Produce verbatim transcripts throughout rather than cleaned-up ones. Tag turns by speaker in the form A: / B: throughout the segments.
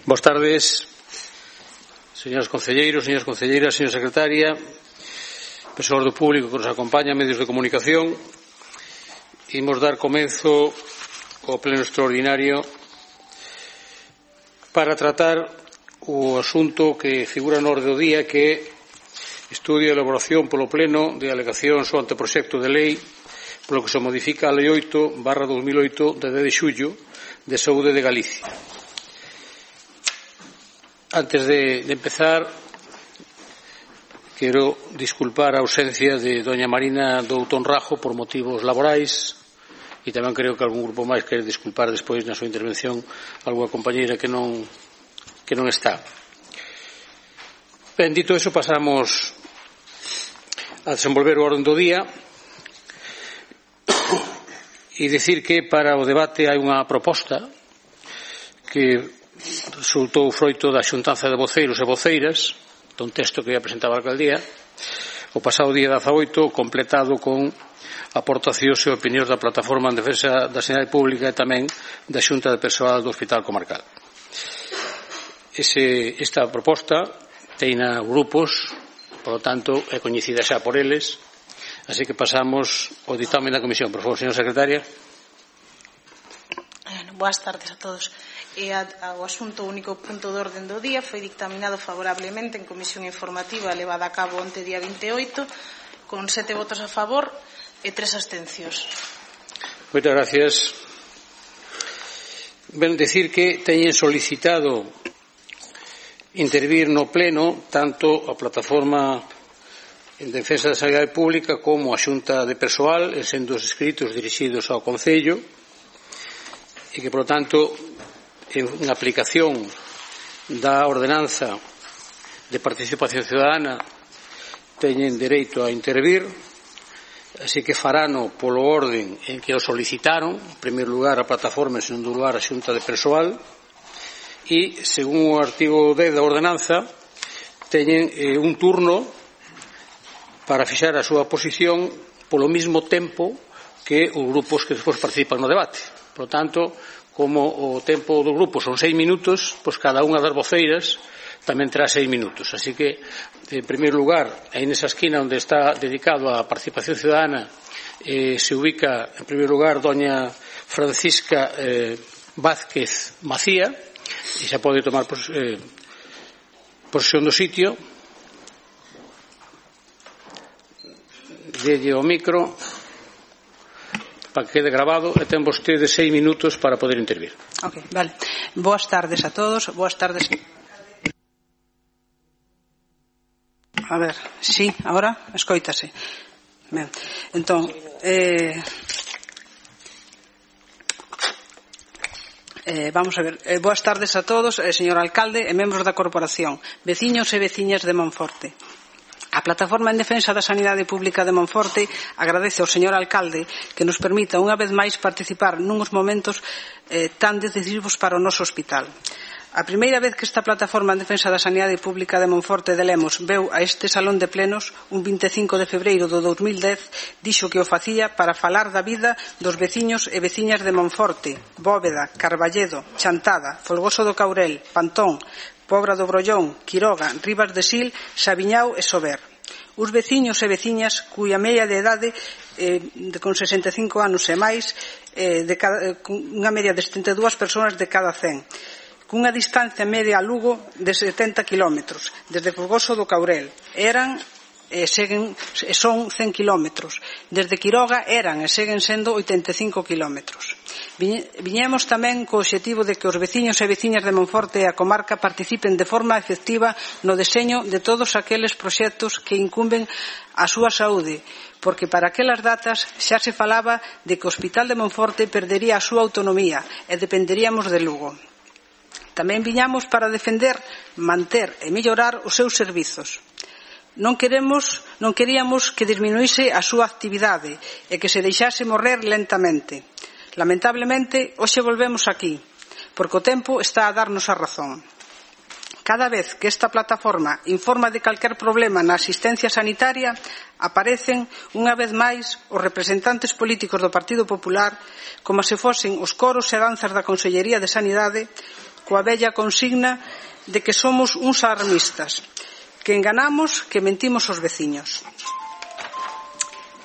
A: Boas tardes, señores concelleiros, señoras concelleiras, señora secretaria, persoas do público que nos acompaña, medios de comunicación. Imos dar comenzo ao pleno extraordinario para tratar o asunto que figura no orde do día, que é estudio e elaboración polo pleno de alegacións ao anteproxecto de lei polo que se modifica a lei oito barra dos mil oito de dez de xullo de Saúde de Galicia. Antes de, de empezar, quero disculpar a ausencia de doña Marina Doutón Rajo por motivos laborais, e tamén creo que algún grupo máis quere disculpar despois na súa intervención algunha compañeira que non, que non está. Ben, dito eso, pasamos a desenvolver o orden do día e dicir que para o debate hai unha proposta que resultou froito da xuntanza de voceiros e voceiras dun texto que ia presentar a alcaldía o pasado día dezaoito, completado con aportacións e opinións da Plataforma en Defensa da Sanidade Pública e tamén da Xunta de Persoal do Hospital Comarcal. Ese, esta proposta teina grupos, por lo tanto é coñecida xa por eles, así que pasamos ao ditame da comisión. Por favor, señora secretaria.
B: Boas tardes a todos. E o asunto único punto de orden do día foi dictaminado favorablemente en comisión informativa levada a cabo onte día veinte e oito con sete votos a favor e tres abstencións.
A: Moitas gracias. Ben, decir que teñen solicitado intervir no pleno tanto a Plataforma en Defensa da Sanidade Pública como a Xunta de Persoal, sendo os escritos dirixidos ao Concello, e que, por lo tanto, en aplicación da ordenanza de participación ciudadana teñen dereito a intervir, así que farano polo orden en que o solicitaron, en primeiro lugar a plataforma, en segundo lugar a Xunta de Persoal, e, según o artigo dez da ordenanza, teñen eh, un turno para fixar a súa posición polo mesmo tempo que os grupos que despois participan no debate. Por lo tanto, como o tempo do grupo son seis minutos, pois cada unha das voceiras tamén terá seis minutos. Así que, en primeiro lugar, aí nesa esquina onde está dedicado á participación ciudadana, eh, se ubica, en primeiro lugar, doña Francisca eh, Vázquez Macía, e xa pode tomar pos, eh, posesión do sitio. Delle o micro para que quede grabado, e ten vostede seis minutos para poder intervir.
C: Ok, vale. Boas tardes a todos. Boas tardes. A ver, sí, ahora escoítase. Ben, entón, eh, eh, vamos a ver. Eh, boas tardes a todos, eh, señor alcalde e membros da corporación, veciños e veciñas de Monforte. A Plataforma en Defensa da Sanidade Pública de Monforte agradece ao señor alcalde que nos permita unha vez máis participar nuns momentos eh, tan decisivos para o noso hospital. A primeira vez que esta Plataforma en Defensa da Sanidade Pública de Monforte de Lemos veu a este salón de plenos un vinte e cinco de febreiro do dos mil dez, dixo que o facía para falar da vida dos veciños e veciñas de Monforte, Bóveda, Carballedo, Chantada, Folgoso do Caurel, Pantón, Pobra do Brollón, Quiroga, Ribas de Sil, Sabiñao e Sober. Os veciños e veciñas cuya media de idade eh, de, con sesenta e cinco anos e máis, eh, de cada, eh, unha media de setenta e dúas persoas de cada cen, cunha distancia media a Lugo de setenta kilómetros, desde Folgoso do Caurel. Eran e seguen, son cen kilómetros. Desde Quiroga eran e seguen sendo oitenta e cinco kilómetros. Viñemos tamén co obxectivo de que os veciños e veciñas de Monforte e a comarca participen de forma efectiva no deseño de todos aqueles proxectos que incumben a súa saúde, porque para aquelas datas xa se falaba de que o Hospital de Monforte perdería a súa autonomía e dependeríamos de Lugo. Tamén viñamos para defender, manter e mellorar os seus servizos. Non queremos, non queríamos que disminuíse a súa actividade e que se deixase morrer lentamente. Lamentablemente, hoxe volvemos aquí, porque o tempo está a darnos a razón. Cada vez que esta plataforma informa de calquer problema na asistencia sanitaria, aparecen unha vez máis os representantes políticos do Partido Popular como se fosen os coros e danzas da Consellería de Sanidade coa vella consigna de que somos uns alarmistas, que enganamos, que mentimos aos veciños.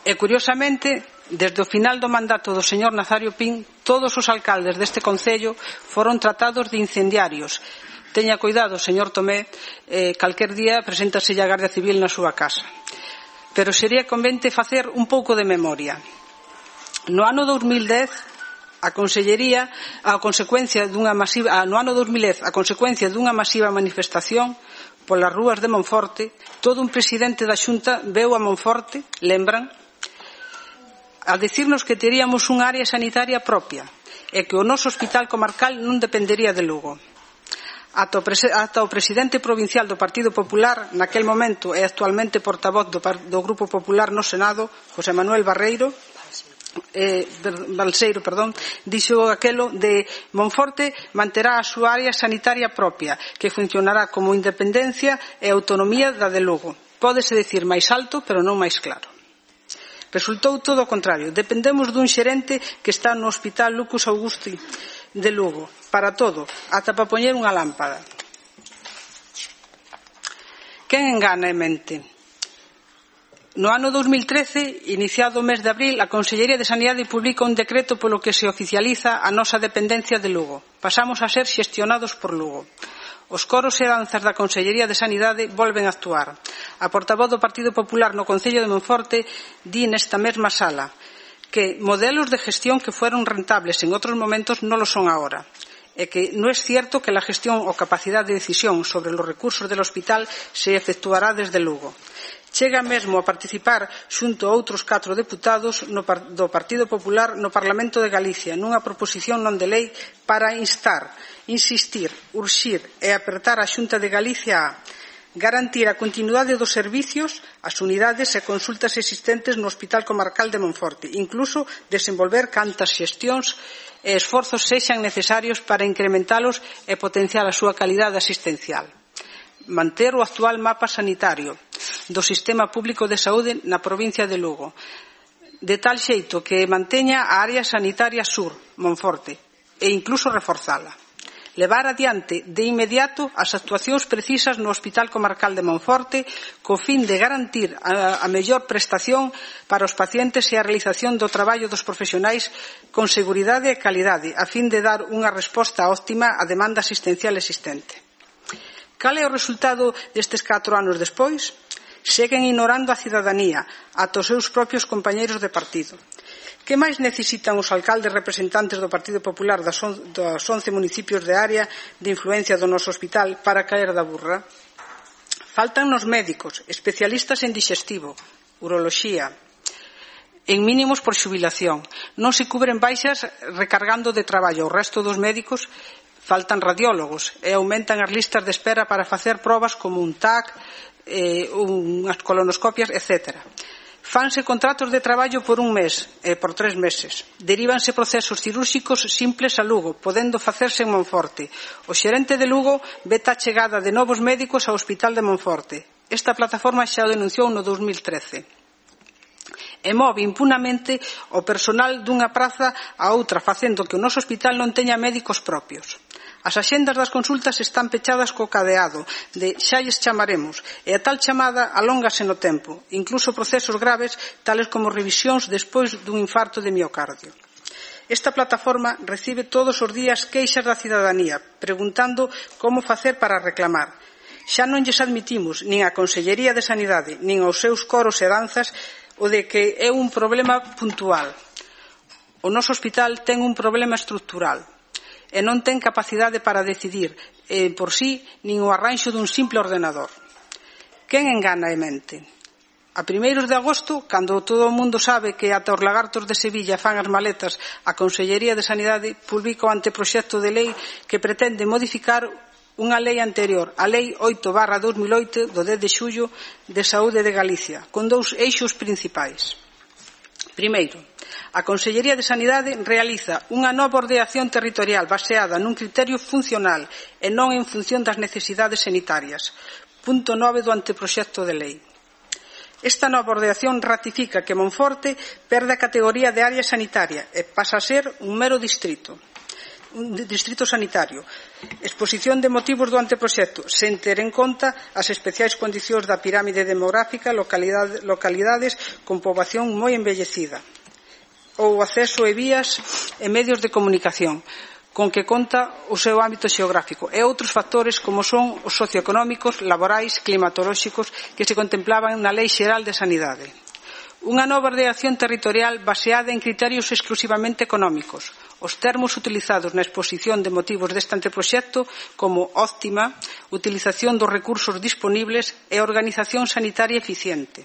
C: E, curiosamente, desde o final do mandato do señor Nazario Pin, todos os alcaldes deste concello foron tratados de incendiarios. Teña cuidado, señor Tomé, eh, calquer día preséntaselle a Garda Civil na súa casa. Pero sería convente facer un pouco de memoria. No ano dos mil dez, a Consellería, a consecuencia dunha masiva, no ano dos mil dez, a consecuencia dunha masiva manifestación polas rúas de Monforte, todo un presidente da Xunta veu a Monforte, lembran, a dicirnos que teríamos unha área sanitaria propia e que o noso hospital comarcal non dependería de Lugo. Ata o, ata o presidente provincial do Partido Popular, naquel momento e actualmente portavoz do, do Grupo Popular no Senado, José Manuel Barreiro, eh, Balseiro, perdón, dixo aquelo de Monforte manterá a súa área sanitaria propia, que funcionará como independencia e autonomía da de Lugo. Pódese dicir máis alto, pero non máis claro. Resultou todo o contrario. Dependemos dun xerente que está no Hospital Lucas Augusti de Lugo, para todo, ata para poñer unha lámpada. Quen engana e mente? No ano dos mil trece, iniciado o mes de abril, a Consellería de Sanidade publica un decreto polo que se oficializa a nosa dependencia de Lugo. Pasamos a ser xestionados por Lugo. Os coros e danzas da Consellería de Sanidade volven a actuar. A portavoz do Partido Popular no Concello de Monforte di nesta mesma sala que modelos de gestión que fueron rentables en outros momentos non lo son ahora, e que non é cierto que la gestión ou capacidade de decisión sobre os recursos del hospital se efectuará desde Lugo. Chega mesmo a participar xunto a outros catro deputados no, do Partido Popular no Parlamento de Galicia nunha proposición non de lei para instar, insistir, urxir e apertar a Xunta de Galicia a garantir a continuidade dos servicios, as unidades e consultas existentes no Hospital Comarcal de Monforte, incluso desenvolver cantas xestións e esforzos sexan necesarios para incrementalos e potenciar a súa calidade asistencial. Manter o actual mapa sanitario do sistema público de saúde na provincia de Lugo, de tal xeito que manteña a área sanitaria sur, Monforte, e incluso reforzala. Levar adiante de inmediato as actuacións precisas no Hospital Comarcal de Monforte co fin de garantir a, a mellor prestación para os pacientes e a realización do traballo dos profesionais con seguridade e calidade, a fin de dar unha resposta óptima á demanda asistencial existente. Cal é o resultado destes catro anos despois? Seguen ignorando a cidadanía, ata os seus propios compañeiros de partido. Que máis necesitan os alcaldes representantes do Partido Popular das once municipios de área de influencia do noso hospital para caer da burra? Faltan nos médicos, especialistas en digestivo, uroloxía, en mínimos por xubilación. Non se cubren baixas recargando de traballo. O resto dos médicos faltan radiólogos e aumentan as listas de espera para facer probas como un T A C, eh, unhas colonoscopias, etcétera. Fanse contratos de traballo por un mes e por tres meses. Derívanse procesos cirúrxicos simples a Lugo, podendo facerse en Monforte. O xerente de Lugo veta a chegada de novos médicos ao Hospital de Monforte. Esta plataforma xa o denunciou no dos mil trece. E move impunamente o personal dunha praza a outra, facendo que o noso hospital non teña médicos propios. As axendas das consultas están pechadas co cadeado de xa lles chamaremos, e a tal chamada alóngase no tempo, incluso procesos graves tales como revisións despois dun infarto de miocardio. Esta plataforma recibe todos os días queixas da cidadanía, preguntando como facer para reclamar. Xa non lles admitimos nin a Consellería de Sanidade nin aos seus coros e danzas o de que é un problema puntual. O noso hospital ten un problema estrutural e non ten capacidade para decidir eh, por sí nin o arranxo dun simple ordenador. Quen engana e mente? A primeiros de agosto, cando todo o mundo sabe que ata os lagartos de Sevilla fan as maletas, a Consellería de Sanidade publica o anteproxecto de lei que pretende modificar unha lei anterior, a Lei oito barra dos mil oito do dez de xullo de Saúde de Galicia, con dous eixos principais. Primeiro, A Consellería de Sanidade realiza unha nova ordenación territorial baseada nun criterio funcional e non en función das necesidades sanitarias. Punto nove do anteproxecto de lei. Esta nova ordenación ratifica que Monforte perde a categoría de área sanitaria e pasa a ser un mero distrito, un distrito sanitario. Exposición de motivos do anteproxecto, sen ter en conta as especiais condicións da pirámide demográfica, localidade, localidades con poboación moi envellecida, ou acceso e vías e medios de comunicación, con que conta o seu ámbito xeográfico e outros factores como son os socioeconómicos, laborais, climatolóxicos que se contemplaban na Lei Xeral de Sanidade. Unha nova ordenación territorial baseada en criterios exclusivamente económicos. Os termos utilizados na exposición de motivos deste anteproxecto como óptima, utilización dos recursos disponibles e organización sanitaria eficiente.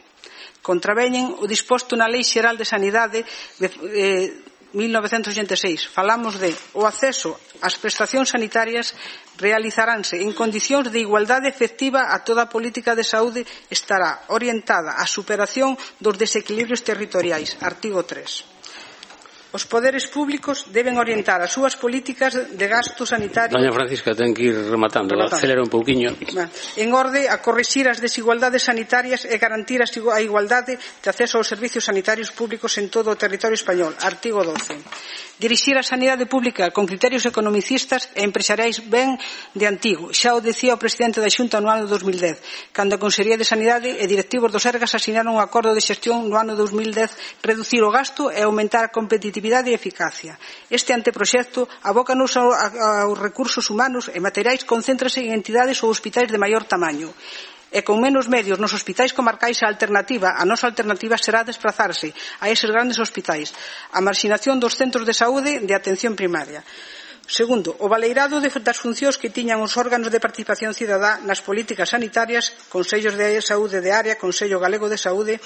C: Contraveñen o disposto na Lei Xeral de Sanidade de eh, mil novecentos oitenta e seis. Falamos de o acceso ás prestacións sanitarias realizaránse en condicións de igualdade efectiva a toda a política de saúde estará orientada á superación dos desequilibrios territoriais. Artigo tres. Os poderes públicos deben orientar as súas políticas de gasto sanitario.
A: Doña Francisca, ten que ir rematando, rematando. Acelera un pouquiño.
C: En orde a corrixir as desigualdades sanitarias e garantir a igualdade de acceso aos servicios sanitarios públicos en todo o territorio español. Artigo doce. Dirixir a sanidade pública con criterios economicistas e empresariais ben de antigo. Xa o decía o presidente da Xunta no ano dos mil dez, cando a Consellería de Sanidade e directivos do Sergas asinaron un acordo de xestión no ano dos mil dez, reducir o gasto e aumentar a competitividade e eficacia. Este anteproxecto abócanos aos recursos humanos e materiais, concéntrase en entidades ou hospitais de maior tamaño. E con menos medios nos hospitais comarcais a alternativa, a nosa alternativa será desplazarse a eses grandes hospitais. A marxinación dos centros de saúde de atención primaria. Segundo, o baleirado das funcións que tiñan os órganos de participación cidadá nas políticas sanitarias, Consellos de Saúde de Área, Consello Galego de Saúde,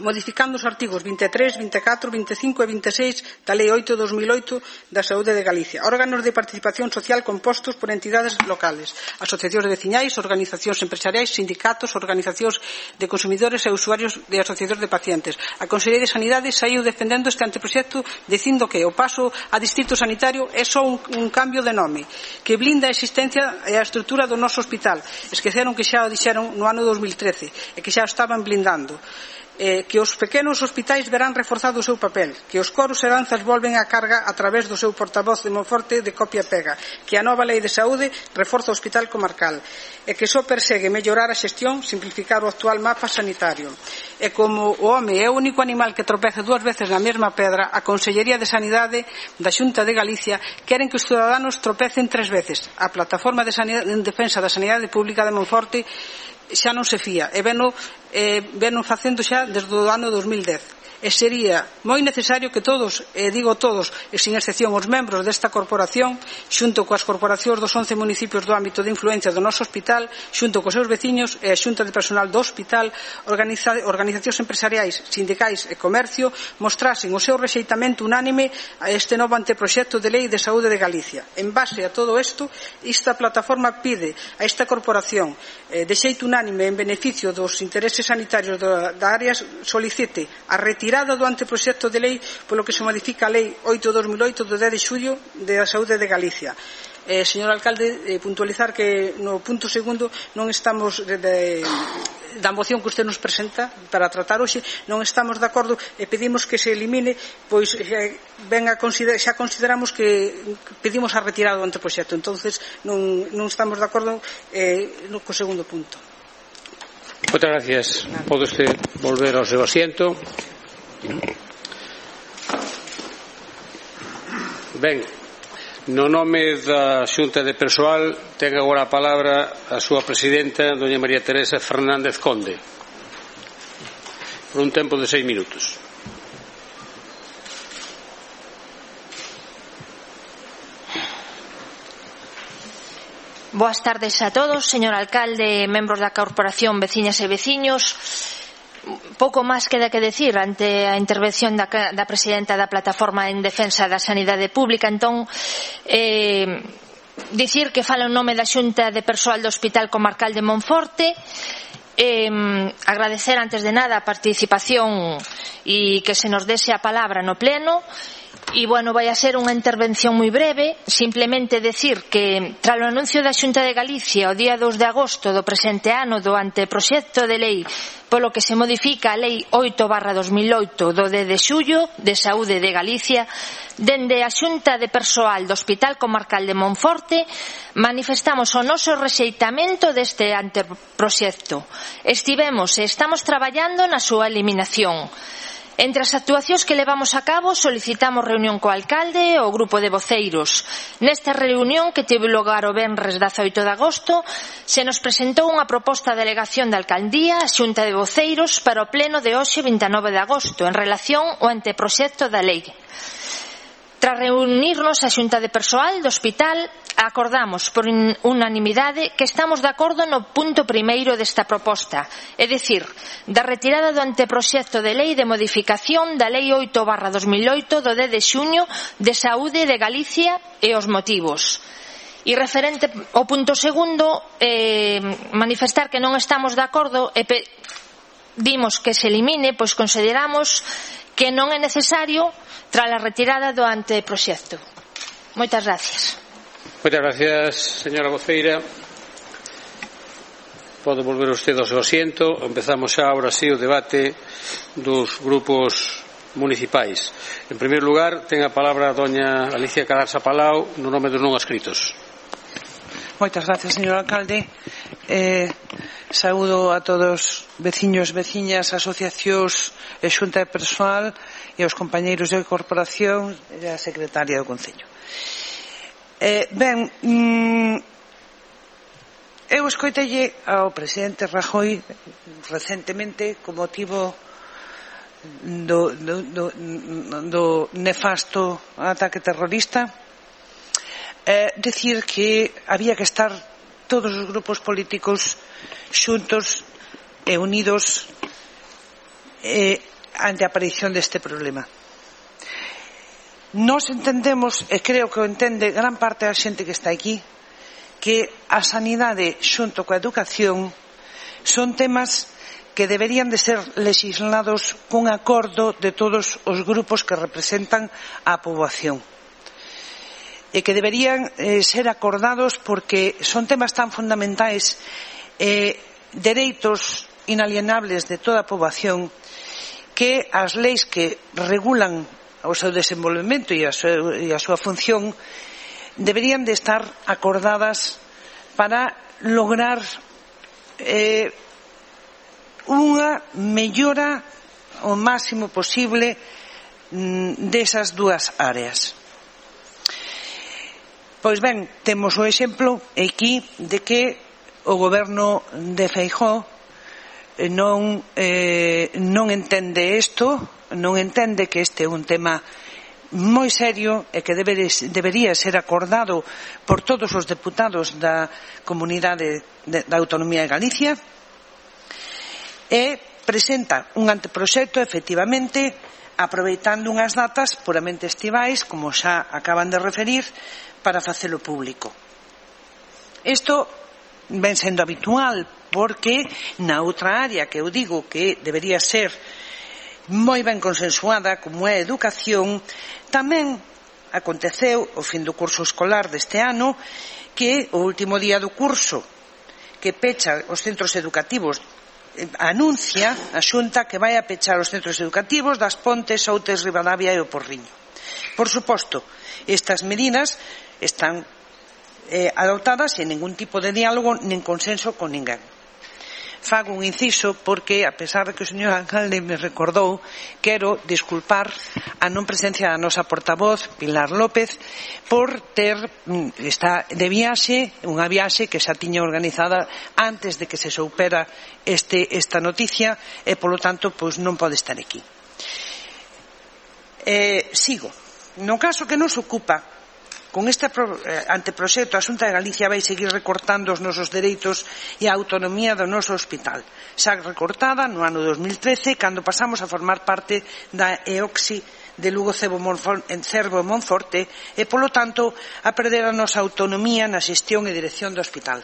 C: modificando os artigos vinte e tres, vinte e catro, vinte e cinco e vinte e seis da Lei oito barra dos mil oito da Saúde de Galicia. Órganos de participación social compostos por entidades locales, asociacións de veciñais, organizacións empresariais, sindicatos, organizacións de consumidores e usuarios de asociacións de pacientes. A Consellería de Sanidade saiu defendendo este anteproxecto dicindo que o paso a distrito sanitario é só un, un cambio de nome, que blinda a existencia e a estrutura do noso hospital. Esqueceron que xa o dixeron no ano dos mil trece e que xa o estaban blindando. Eh, que os pequenos hospitais verán reforzado o seu papel, que os coros e danzas volven a carga a través do seu portavoz de Monforte de copia-pega, que a nova Lei de Saúde reforza o hospital comarcal e que só persegue mellorar a xestión, simplificar o actual mapa sanitario. E como o home é o único animal que tropeza dúas veces na mesma pedra, a Consellería de Sanidade da Xunta de Galicia queren que os ciudadanos tropecen tres veces. A Plataforma de Sanidade, en Defensa da Sanidade Pública de Monforte xa non se fía e veno, eh, veno facendo xa desde o ano dos mil dez. E sería moi necesario que todos, e digo todos, e sin excepción os membros desta corporación, xunto coas corporacións dos once municipios do ámbito de influencia do noso hospital, xunto cos seus veciños e a xunta de personal do hospital, organiza, organizacións empresariais, sindicais e comercio, mostrasen o seu rexeitamento unánime a este novo anteproxecto de Lei de Saúde de Galicia. En base a todo isto, esta plataforma pide a esta corporación eh, de xeito unánime en beneficio dos intereses sanitarios da, da área solicite a retirar do anteproxecto de lei polo que se modifica a Lei oito barra dos mil oito do dez de xullo da Saúde de Galicia. Eh, señor alcalde, eh, puntualizar que no punto segundo non estamos de, de, da moción que usted nos presenta para tratar hoxe, non estamos de acordo e pedimos que se elimine, pois eh, ben a consider, xa consideramos que pedimos a retirada do anteproxecto, entonces non, non estamos de acordo eh, no, co segundo punto.
A: Moitas gracias. Pode usted volver ao seu asiento. Ben, no nome da Xunta de Persoal ten agora a palabra a súa presidenta, doña María Teresa Fernández Conde, por un tempo de seis minutos.
D: Boas tardes a todos, señor alcalde, membros da Corporación, veciñas e veciños. Pouco máis queda que decir ante a intervención da, da presidenta da Plataforma en Defensa da Sanidade Pública. Entón, eh, dicir que fala en nome da Xunta de Persoal do Hospital Comarcal de Monforte Eh, agradecer antes de nada a participación e que se nos dese a palabra no pleno. E, bueno, vai a ser unha intervención moi breve, simplemente decir que tras o anuncio da Xunta de Galicia o día dos de agosto do presente ano do anteproxecto de lei polo que se modifica a lei oito barra dos mil oito do dez de xullo de Saúde de Galicia, dende a Xunta de Persoal do Hospital Comarcal de Monforte manifestamos o noso rexeitamento deste anteproxecto. Estivemos e estamos traballando na súa eliminación. Entre as actuacións que levamos a cabo solicitamos reunión co alcalde e o grupo de voceiros. Nesta reunión, que tivo lugar o venres dezaoito de agosto, se nos presentou unha proposta de delegación da alcaldía a xunta de voceiros para o pleno de hoxe vinte e nove de agosto en relación ao anteproxecto da lei. Tras reunirnos a xunta de persoal do hospital, acordamos por unanimidade que estamos de acordo no punto primeiro desta proposta, é dicir, da retirada do anteproxecto de lei de modificación da lei oito barra dos mil oito do dez de xuño de Saúde de Galicia e os motivos. E referente ao punto segundo, eh, manifestar que non estamos de acordo e pedimos que se elimine, pois consideramos que non é necesario tras a retirada do anteproxecto. Moitas gracias.
A: Moitas gracias, señora voceira. Pode volver usted ao seu asiento. Empezamos xa ahora sí o debate dos grupos municipais. En primeiro lugar, ten a palabra a doña Alicia Cadarsa Palau no nome dos non adscritos.
E: Moitas gracias, señor alcalde. Eh, saúdo a todos veciños, veciñas, asociacións e xunta de persoal e aos compañeiros de corporación e a secretaria do Concello. Eh, ben, mm, eu escoitelle ao presidente Rajoy recentemente co motivo do, do, do, do nefasto ataque terrorista eh, decir que había que estar todos os grupos políticos xuntos e unidos eh, ante a aparición deste problema. Nós entendemos, e creo que o entende gran parte da xente que está aquí, que a sanidade xunto coa educación son temas que deberían de ser legislados cun acordo de todos os grupos que representan a poboación e que deberían eh, ser acordados porque son temas tan fundamentais, eh, dereitos inalienables de toda a poboación, que as leis que regulan o seu desenvolvemento e a súa, e a súa función deberían de estar acordadas para lograr eh, unha mellora o máximo posible mm, desas dúas áreas. Pois ben, temos o exemplo aquí de que o goberno de Feijóo non, eh, non entende isto, non entende que este é un tema moi serio e que debe, debería ser acordado por todos os deputados da Comunidade de, da Autonomía de Galicia, e presenta un anteproxecto efectivamente aproveitando unhas datas puramente estivais, como xa acaban de referir, para facelo público. Isto ven sendo habitual porque na outra área que eu digo que debería ser moi ben consensuada, como é a educación, tamén aconteceu o fin do curso escolar deste ano que o último día do curso que pecha os centros educativos anuncia a Xunta que vai a pechar os centros educativos das Pontes, Outes, Ribadavia e o Porriño. Por suposto, estas medidas están eh, adoptadas sen ningún tipo de diálogo nin consenso con ninguén. Fago un inciso porque, a pesar de que o señor alcalde me recordou, quero disculpar a non presencia da nosa portavoz, Pilar López, por ter está de viaxe, unha viaxe que xa tiña organizada antes de que se soupera este, esta noticia e, polo tanto, pois non pode estar aquí. Eh, sigo. No caso que nos ocupa, con este anteproxecto a Xunta de Galicia vai seguir recortando os nosos dereitos e a autonomía do noso hospital, xa recortada no ano dos mil trece cando pasamos a formar parte da E O C I de Lugo Cervo Monforte e, polo tanto, a perder a nosa autonomía na xestión e dirección do hospital.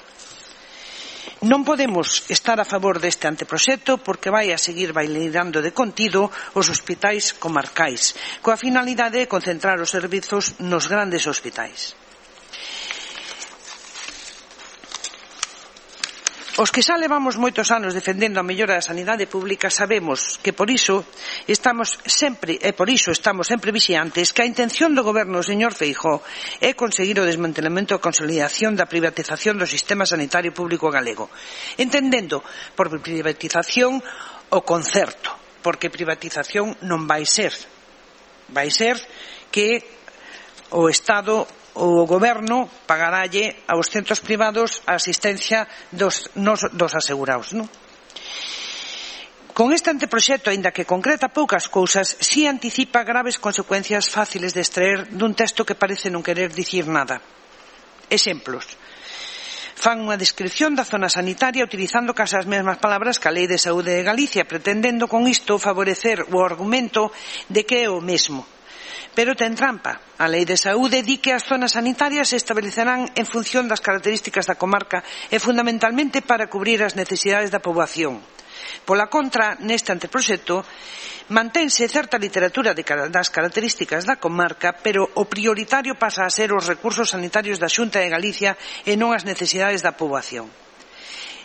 E: Non podemos estar a favor deste anteproxecto porque vai a seguir bailando de contido os hospitais comarcais, coa finalidade de concentrar os servizos nos grandes hospitais. Os que xa levamos moitos anos defendendo a mellora da sanidade pública sabemos que por iso estamos sempre e por iso estamos sempre vixiantes que a intención do goberno do señor Feijóo é conseguir o desmantelamento e consolidación da privatización do sistema sanitario público galego, entendendo por privatización o concerto, porque privatización non vai ser, vai ser que o Estado o goberno pagaralle aos centros privados a asistencia dos, nos, dos asegurados, non? Con este anteproxecto, aínda que concreta poucas cousas, si anticipa graves consecuencias fáciles de extraer dun texto que parece non querer dicir nada. Exemplos. Fan unha descripción da zona sanitaria utilizando case as mesmas palabras que a Lei de Saúde de Galicia, pretendendo con isto favorecer o argumento de que é o mesmo. Pero ten trampa. A Lei de Saúde di que as zonas sanitarias se establecerán en función das características da comarca e fundamentalmente para cubrir as necesidades da poboación. Pola contra, neste anteproxecto, mantense certa literatura de, das características da comarca, pero o prioritario pasa a ser os recursos sanitarios da Xunta de Galicia e non as necesidades da poboación.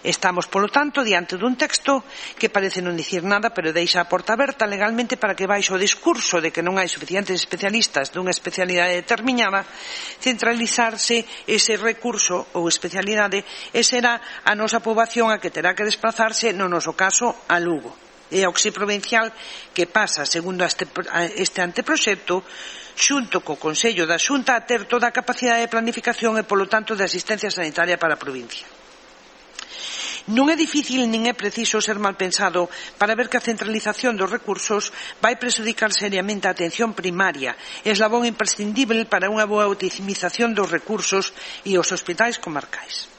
E: Estamos, polo tanto, diante dun texto que parece non dicir nada, pero deixa a porta aberta legalmente para que baixo o discurso de que non hai suficientes especialistas dunha especialidade determinada, centralizarse ese recurso ou especialidade e será a nosa poboación a que terá que desplazarse, no noso caso, a Lugo. É a Oxi Provincial que pasa, segundo este, este anteproxecto, xunto co Consello da Xunta a ter toda a capacidade de planificación e, polo tanto, de asistencia sanitaria para a provincia. Non é difícil nin é preciso ser mal pensado para ver que a centralización dos recursos vai prexudicar seriamente a atención primaria, eslabón imprescindible para unha boa optimización dos recursos e os hospitais comarcais.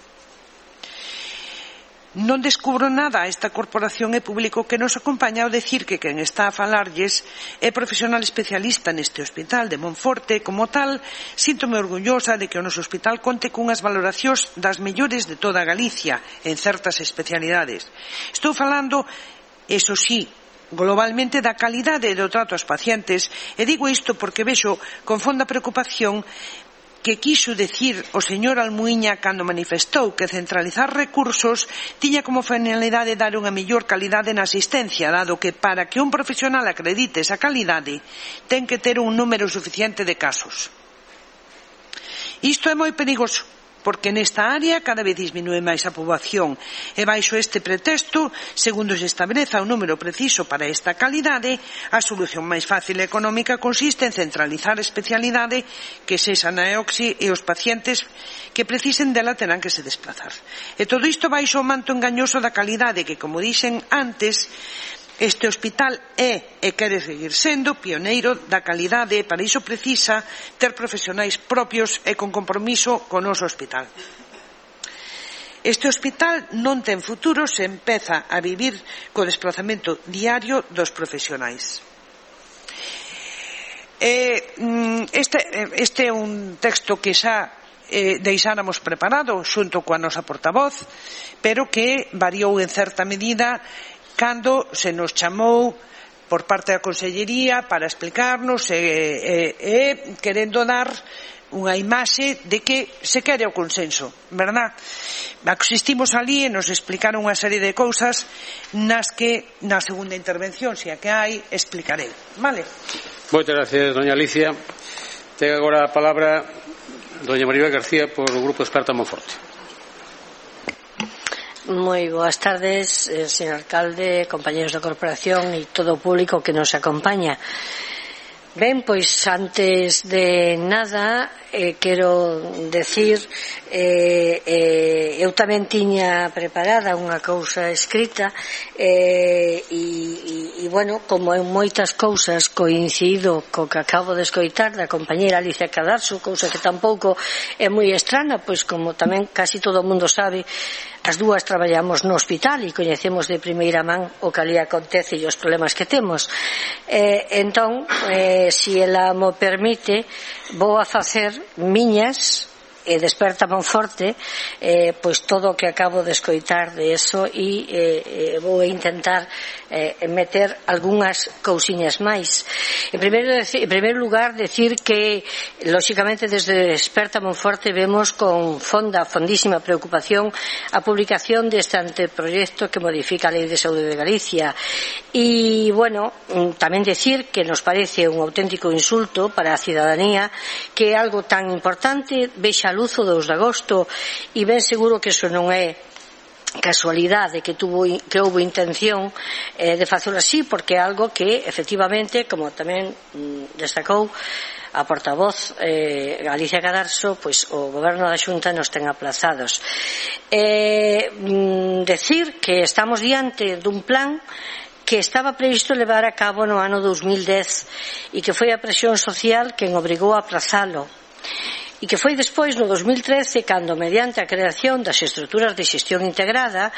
E: Non descubro nada a esta corporación e público que nos acompaña ao decir que quen está a falarlles é profesional especialista neste hospital de Monforte. Como tal, síntome orgullosa de que o noso hospital conte cunhas valoracións das mellores de toda Galicia en certas especialidades. Estou falando, eso sí, globalmente da calidade do trato aos pacientes, e digo isto porque vexo con fonda preocupación que quiso decir o señor Almuíña cando manifestou que centralizar recursos tiña como finalidade dar unha mellor calidade na asistencia, dado que para que un profesional acredite esa calidade ten que ter un número suficiente de casos. Isto é moi perigoso, porque nesta área cada vez disminúe máis a poboación e baixo este pretexto, segundo se estableza un número preciso para esta calidade, a solución máis fácil e económica consiste en centralizar a especialidade que sexa na Oxi e os pacientes que precisen dela terán que se desplazar. E todo isto baixo o manto engañoso da calidade que, como dixen antes, este hospital é e quere seguir sendo pioneiro da calidade e para iso precisa ter profesionais propios e con compromiso con o noso hospital. Este hospital non ten futuro se empeza a vivir co desplazamento diario dos profesionais. Este, este é un texto que xa eh, deixáramos preparado xunto coa nosa portavoz, pero que variou en certa medida cando se nos chamou por parte da Consellería para explicarnos e, e, e querendo dar unha imaxe de que se quere o consenso, verdad? Asistimos ali e nos explicaron unha serie de cousas nas que na segunda intervención, se a que hai, explicarei. Vale?
A: Moitas gracias, doña Alicia. Ten agora a palabra doña Maribel García por o Grupo Experta Monforte.
F: Moi boas tardes, eh, señor alcalde, compañeros da corporación e todo o público que nos acompaña. Ben, pois antes de nada eh, quero decir eh, eh, eu tamén tiña preparada unha cousa escrita eh, e, e, e bueno, como en moitas cousas coincido co que acabo de escoitar da compañera Alicia Cadarso, cousa que tampouco é moi estrana, pois como tamén casi todo o mundo sabe, as dúas traballamos no hospital e coñecemos de primeira man o que ali acontece e os problemas que temos. Eh, entón, eh, se ela mo permite, vou a facer miñas e Desperta Monforte, eh, pois todo o que acabo de escoitar de eso, e eh, vou intentar eh, meter algunhas cousiñas máis. En primeiro, en primeiro lugar, decir que lóxicamente desde Desperta Monforte vemos con fonda, fondísima preocupación a publicación deste anteproyecto que modifica a Lei de Saúde de Galicia. E, bueno, tamén decir que nos parece un auténtico insulto para a cidadanía que algo tan importante vexa a luz o dous de agosto, e ben seguro que iso non é casualidade, que tuvo que houve intención eh, de facelo así, porque é algo que efectivamente, como tamén mm, destacou a portavoz eh, Galicia Cadarso, pois o goberno da Xunta nos ten aplazados. Eh, mm, decir que estamos diante dun plan que estaba previsto levar a cabo no ano dos mil dez e que foi a presión social quen obrigou a aplazalo, e que foi despois no dos mil trece cando, mediante a creación das estruturas de xestión integrada,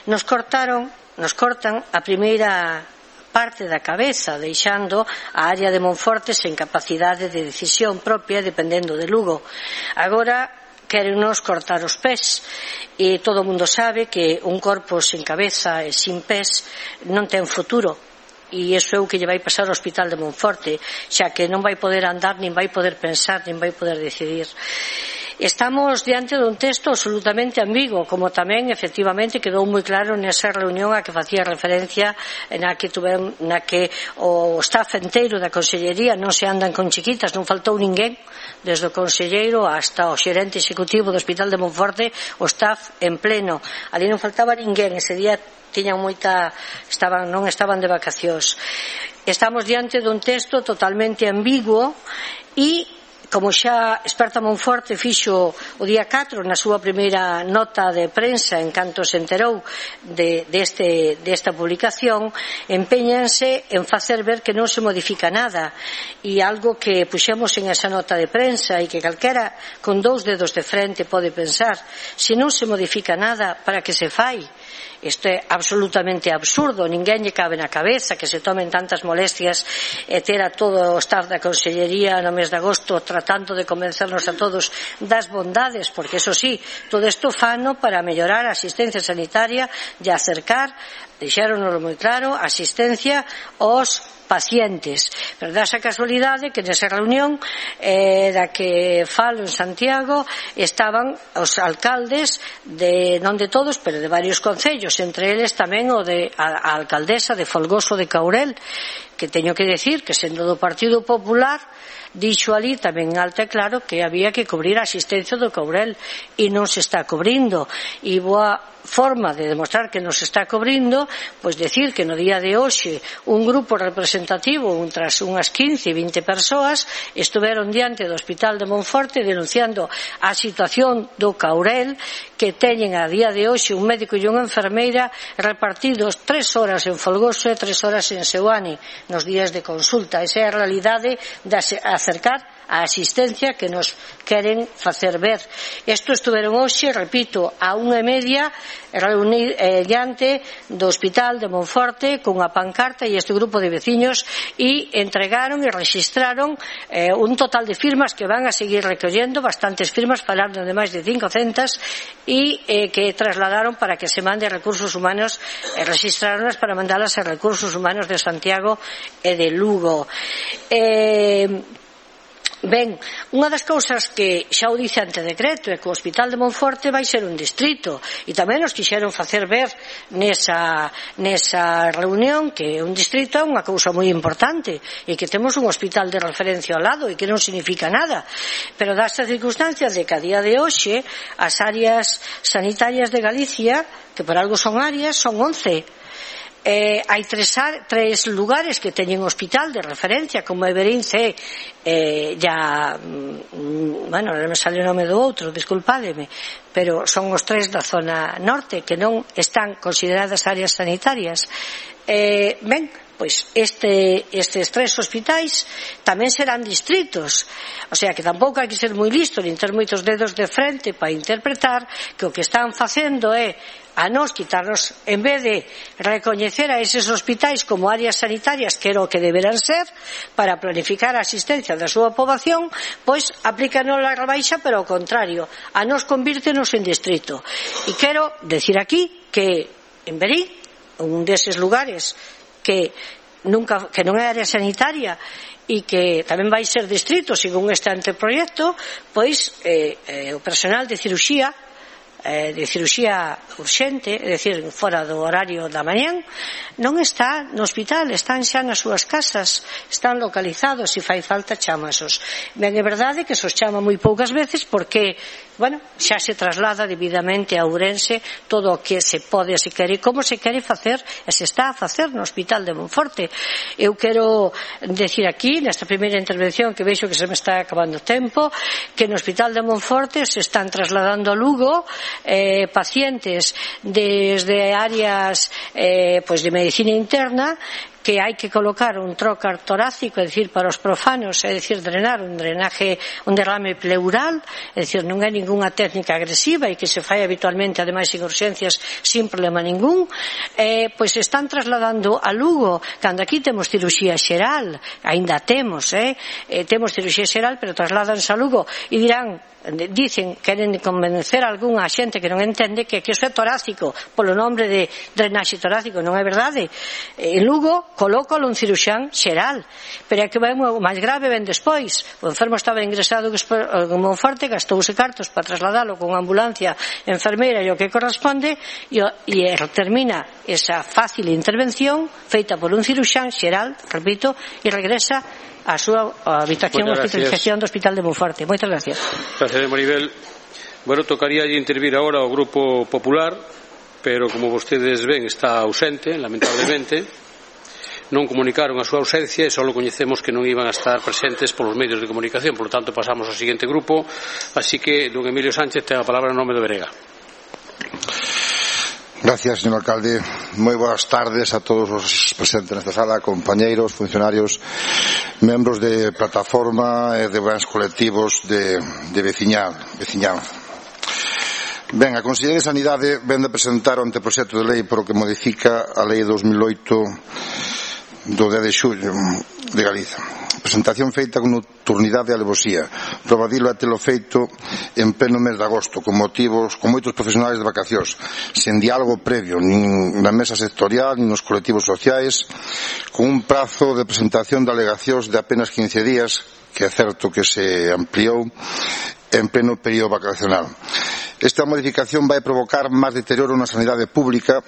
F: nos cortaron, nos cortan a primeira parte da cabeza, deixando a área de Monforte sen capacidade de decisión propia dependendo de Lugo. Agora quérennos cortar os pés, e todo o mundo sabe que un corpo sen cabeza e sin pés non ten futuro, e iso é o que lle vai pasar ao Hospital de Monforte, xa que non vai poder andar, nin vai poder pensar, nin vai poder decidir. Estamos diante dun texto absolutamente ambiguo, como tamén efectivamente quedou moi claro nesa reunión a que facía referencia, na que tuven, na que o staff enteiro da Consellería non se andan con chiquitas, non faltou ninguén, desde o conselleiro hasta o xerente executivo do Hospital de Monforte, o staff en pleno, ali non faltaba ninguén, ese día tiñan moita, estaban, non estaban de vacacións. Estamos diante dun texto totalmente ambiguo, e como xa Desperta Monforte fixo o día catro na súa primeira nota de prensa en canto se enterou de, deste, desta publicación, empeñanse en facer ver que non se modifica nada, e algo que puxemos en esa nota de prensa e que calquera con dous dedos de frente pode pensar: se non se modifica nada, para que se fai? Isto é absolutamente absurdo, ninguén lle cabe na cabeza que se tomen tantas molestias e ter a todo o staff da Consellería no mes de agosto tratando de convencernos a todos das bondades, porque eso sí, todo isto fano para mellorar a asistencia sanitaria e acercar, deixáronos moi claro, a asistencia aos pacientes. Pero dá esa casualidade que nesa reunión eh, da que falo en Santiago estaban os alcaldes de, non de todos, pero de varios concellos, entre eles tamén o de a, a alcaldesa de Folgoso de Caurel, que teño que decir que sendo do Partido Popular dixo ali tamén alto e claro que había que cubrir a asistencia do Caurel, e non se está cubrindo, e boa forma de demostrar que nos está cubrindo, pois decir que no día de hoxe un grupo representativo, tras unhas quince, vinte persoas, estuveron diante do Hospital de Monforte denunciando a situación do Caurel, que teñen a día de hoxe un médico e unha enfermeira repartidos tres horas en Folgoso e tres horas en Seoane nos días de consulta. Esa é a realidade de acercar a asistencia que nos queren facer ver. Isto estuveron hoxe, repito, a unha e media reunir eh, diante do Hospital de Monforte cunha pancarta e este grupo de veciños, e entregaron e registraron eh, un total de firmas que van a seguir recollendo, bastantes firmas, falando de máis de cincocentas, e eh, que trasladaron para que se mande a Recursos Humanos, e registraronlas para mandalas a Recursos Humanos de Santiago e de Lugo. Eh, Ben, unha das cousas que xa o dice ante decreto é que o Hospital de Monforte vai ser un distrito, e tamén nos quixeron facer ver nesa, nesa reunión que un distrito é unha cousa moi importante e que temos un hospital de referencia ao lado e que non significa nada, pero das circunstancias de que a día de hoxe as áreas sanitarias de Galicia, que por algo son áreas, son once. Eh, hai tres, tres lugares que teñen hospital de referencia, como Everín, C, eh, ya, mm, bueno, non me sale o nome do outro, disculpádeme, pero son os tres da zona norte que non están consideradas áreas sanitarias. Eh, ben, pois este, estes tres hospitais tamén serán distritos, o sea que tampouco hai que ser moi listo nin ter moitos dedos de frente para interpretar que o que están facendo é a nos quitarnos, en vez de recoñecer a eses hospitais como áreas sanitarias, que era o que deberán ser para planificar a asistencia da súa poboación, pois aplícanos a rebaixa, pero ao contrario, a nos convírtenos en distrito. E quero decir aquí que en Verín, un deses lugares que nunca, que non é área sanitaria e que tamén vai ser distrito según este anteproyecto, pois eh, eh, o personal de ciruxía eh, de ciruxía urxente, é dicir, fora do horario da mañán, non está no hospital, están xa nas súas casas, están localizados, e fai falta chamasos. Ben, é verdade que se os chama moi poucas veces porque, bueno, xa se traslada debidamente a Ourense todo o que se pode, se quere, como se quere facer e se está a facer no Hospital de Monforte. Eu quero decir aquí, nesta primeira intervención, que vexo que se me está acabando o tempo, que no Hospital de Monforte se están trasladando a Lugo eh, pacientes desde áreas eh, pues de medicina interna, que hai que colocar un trocar torácico, é dicir, para os profanos, é dicir, drenar un drenaje, un derrame pleural, é dicir, non é ningunha técnica agresiva e que se fai habitualmente, ademais, en urxencias, sin problema ningún. Eh, pois están trasladando a Lugo, cando aquí temos ciruxía xeral, aínda temos, eh, eh temos ciruxía xeral, pero trasladanse a Lugo e dirán, dicen, queren convencer a algunha xente que non entende que, que iso é torácico, polo nombre de drenaxe torácico. Non é verdade. En Lugo colócalo un ciruxán xeral, pero é que vai o máis grave ven despois. O enfermo estaba ingresado en Monforte, gastouse cartos para trasladalo con ambulancia, enfermeira e o que corresponde, e, e termina esa fácil intervención feita por un ciruxán xeral, repito, e regresa a súa habitación ou hospitalización do Hospital de Monforte. Moitas gracias.
A: Gracias, Maribel. Bueno, tocaría intervir agora o Grupo Popular, pero como vostedes ven está ausente, lamentablemente. Non comunicaron a súa ausencia e só coñecemos que non iban a estar presentes polos medios de comunicación. Por lo tanto, pasamos ao seguinte grupo. Así que, don Emilio Sánchez, ten a palabra en nome do Berega.
G: Gracias, señor alcalde. Moi boas tardes a todos os presentes nesta sala, compañeiros, funcionarios, membros de plataforma e de bens colectivos de, de veciñal, veciñanza. Ben, a Consellería de Sanidade ven de presentar o anteproxecto de lei por o que modifica a lei dos mil oito do dez de xullo de Galiza. Presentación feita con nocturnidade e alevosía, probadilo a telo feito en pleno mes de agosto, con motivos, con moitos profesionais de vacacións, sen diálogo previo, nin na mesa sectorial, nin nos colectivos sociais, con un prazo de presentación de alegacións de apenas quince días, que é certo que se ampliou en pleno período vacacional. Esta modificación vai provocar máis deterioro na sanidade pública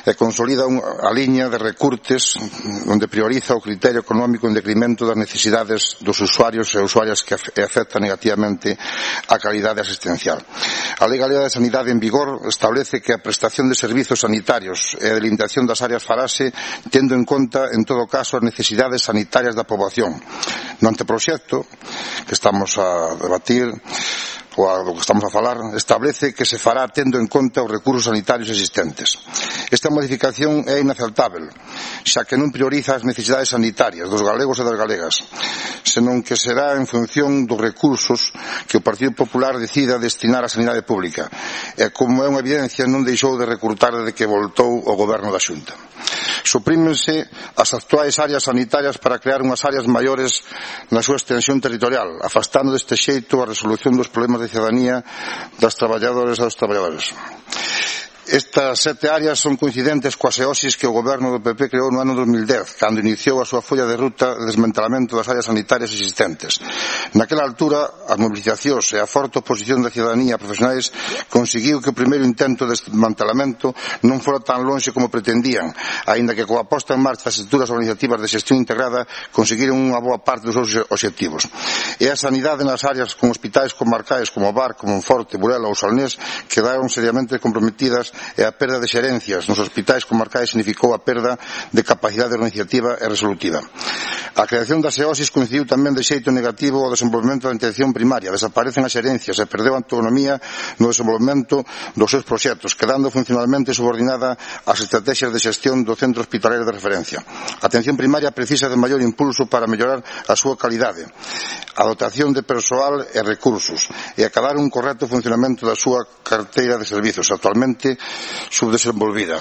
G: e consolida a liña de recurtes onde prioriza o criterio económico en decremento das necesidades dos usuarios e usuarias que afecta negativamente a calidade asistencial. A Lei Galega de Sanidade en vigor establece que a prestación de servizos sanitarios e a delimitación das áreas farase tendo en conta, en todo caso, as necesidades sanitarias da poboación. No anteproxecto que estamos a debatir, ou a do que estamos a falar, establece que se fará tendo en conta os recursos sanitarios existentes. Esta modificación é inaceptável, xa que non prioriza as necesidades sanitarias dos galegos e das galegas, senón que será en función dos recursos que o Partido Popular decida destinar á sanidade pública, e como é unha evidencia non deixou de recrutar desde que voltou o goberno da Xunta. Suprímense as actuais áreas sanitarias para crear unhas áreas maiores na súa extensión territorial, afastando deste xeito a resolución dos problemas de cidadanía das traballadoras e dos traballadores. Estas sete áreas son coincidentes coas eosis que o goberno do P P creou no ano dos mil dez, cando iniciou a súa folla de ruta de desmantelamento das áreas sanitarias existentes. Naquela altura, as mobilizacións e a forte oposición da cidadanía profesionais conseguiu que o primeiro intento de desmantelamento non fora tan longe como pretendían, aínda que coa posta en marcha das estruturas organizativas de xestión integrada conseguiron unha boa parte dos seus obxectivos. E a sanidade nas áreas con hospitais comarcais como Bar, como Monforte, Burela ou Salnés quedaron seriamente comprometidas públicas e a perda de xerencias nos hospitais comarcais significou a perda de capacidade organizativa e resolutiva. A creación das E O S I coincidiu tamén de xeito negativo ao desenvolvemento da atención primaria. Desaparecen as xerencias e perdeu a autonomía no desenvolvemento dos seus proxectos, quedando funcionalmente subordinada ás estrategias de xestión do centro hospitalario de referencia. A atención primaria precisa de maior impulso para mellorar a súa calidade, a dotación de persoal e recursos e acabar un correcto funcionamento da súa carteira de servizos, actualmente subdesenvolvida.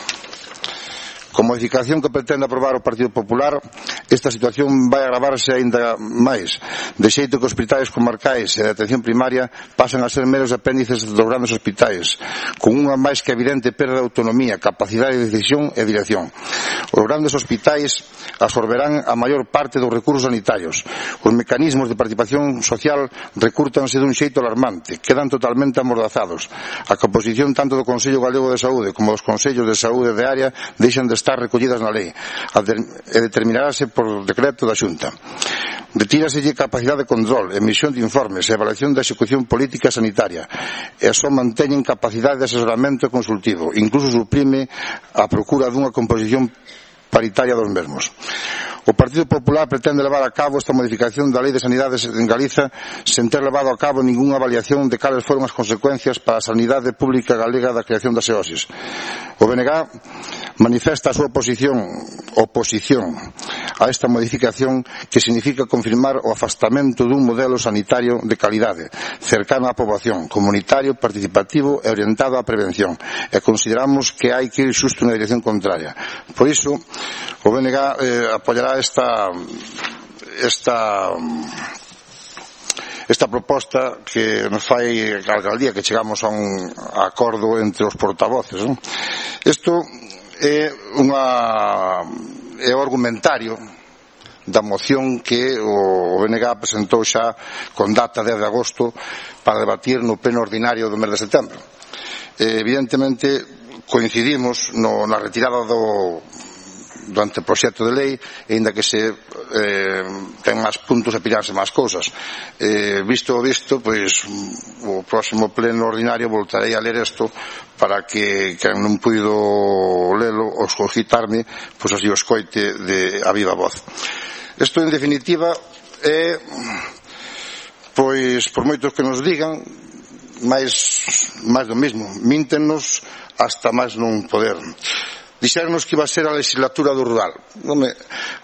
G: Con modificación que pretende aprobar o Partido Popular, esta situación vai agravarse aínda máis, de xeito que os hospitais comarcais e de atención primaria pasan a ser meros apéndices dos grandes hospitais, con unha máis que evidente perda de autonomía, capacidade de decisión e dirección. Os grandes hospitais absorberán a maior parte dos recursos sanitarios. Os mecanismos de participación social recúrtanse dun xeito alarmante, quedan totalmente amordazados. A composición tanto do Consello Galego de Saúde como dos Consellos de Saúde de área deixan de estar recollidas na lei e determinarase por decreto da Xunta. Retíraselle capacidade de control, emisión de informes e evaluación da execución política sanitaria e só manteñen capacidade de asesoramento e consultivo, incluso suprime a procura dunha composición paritaria dos mesmos. O Partido Popular pretende levar a cabo esta modificación da Lei de Sanidade en Galiza sen ter levado a cabo ningunha avaliación de cales foron as consecuencias para a sanidade pública galega da creación das E O S I s. O B N G manifesta a súa oposición, oposición a esta modificación que significa confirmar o afastamento dun modelo sanitario de calidade, cercano á poboación, comunitario, participativo e orientado á prevención, e consideramos que hai que ir xusto na dirección contraria. Por iso, o B N G eh, apoiará esta esta esta proposta que nos fai a alcaldía, que chegamos a un acordo entre os portavoces, non? Isto é unha é o argumentario da moción que o B N G presentou xa con data dez de agosto para debatir no pleno ordinario do mes de setembro. Eh, evidentemente coincidimos no, na retirada do do anteproxecto de lei, aínda que se eh, ten máis puntos e pillarse máis cousas. Eh, visto o visto, pois o próximo pleno ordinario voltarei a ler isto para que quen non puido lelo ou escogitarme, pois así o escoite de a viva voz. Isto, en definitiva, é, pois, por moitos que nos digan, máis, máis do mismo. Míntennos hasta máis non poder. Dixéronos que iba a ser a legislatura do rural. Non, me,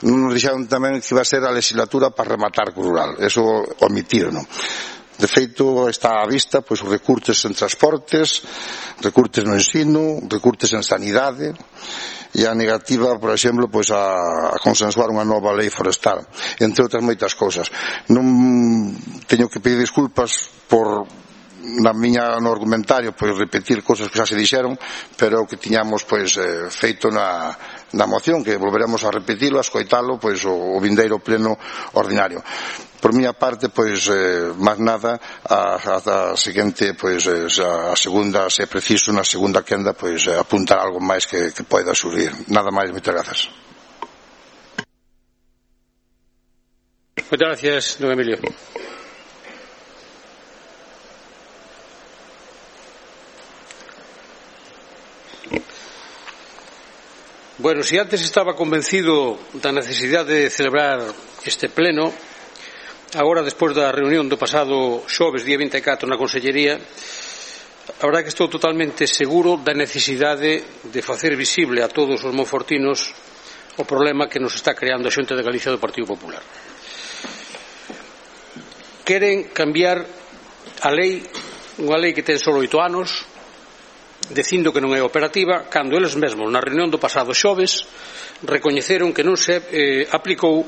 G: non nos dixeron tamén que iba a ser a legislatura para rematar co rural. Eso omitiron. De feito, está á vista pois, os recurtes en transportes, recurtes no ensino, recurtes en sanidade e a negativa, por exemplo, pois, a, a consensuar unha nova lei forestal, entre outras moitas cousas. Non teño que pedir disculpas por na miña no argumentario pois repetir cousas que xa se dixeron, pero que tiñamos pois eh, feito na, na moción, que volveremos a repetilo, a escoitalo pois o, o vindeiro pleno ordinario. Por miña parte, pois eh, máis nada, a, a, a seguinte pois eh, a segunda, se é preciso na segunda quenda, pois eh, apuntar algo máis que, que poida surgir. Nada máis, moitas grazas.
A: Moitas gracias, don Emilio. Bueno, si antes estaba convencido da necesidade de celebrar este pleno, agora, despois da reunión do pasado xoves, día vinte e catro, na Consellería, a verdade que estou totalmente seguro da necesidade de facer visible a todos os monfortinos o problema que nos está creando a Xunta de Galicia do Partido Popular. Queren cambiar a lei, unha lei que ten só oito anos, dicindo que non é operativa, cando eles mesmos na reunión do pasado xoves recoñeceron que non se eh, aplicou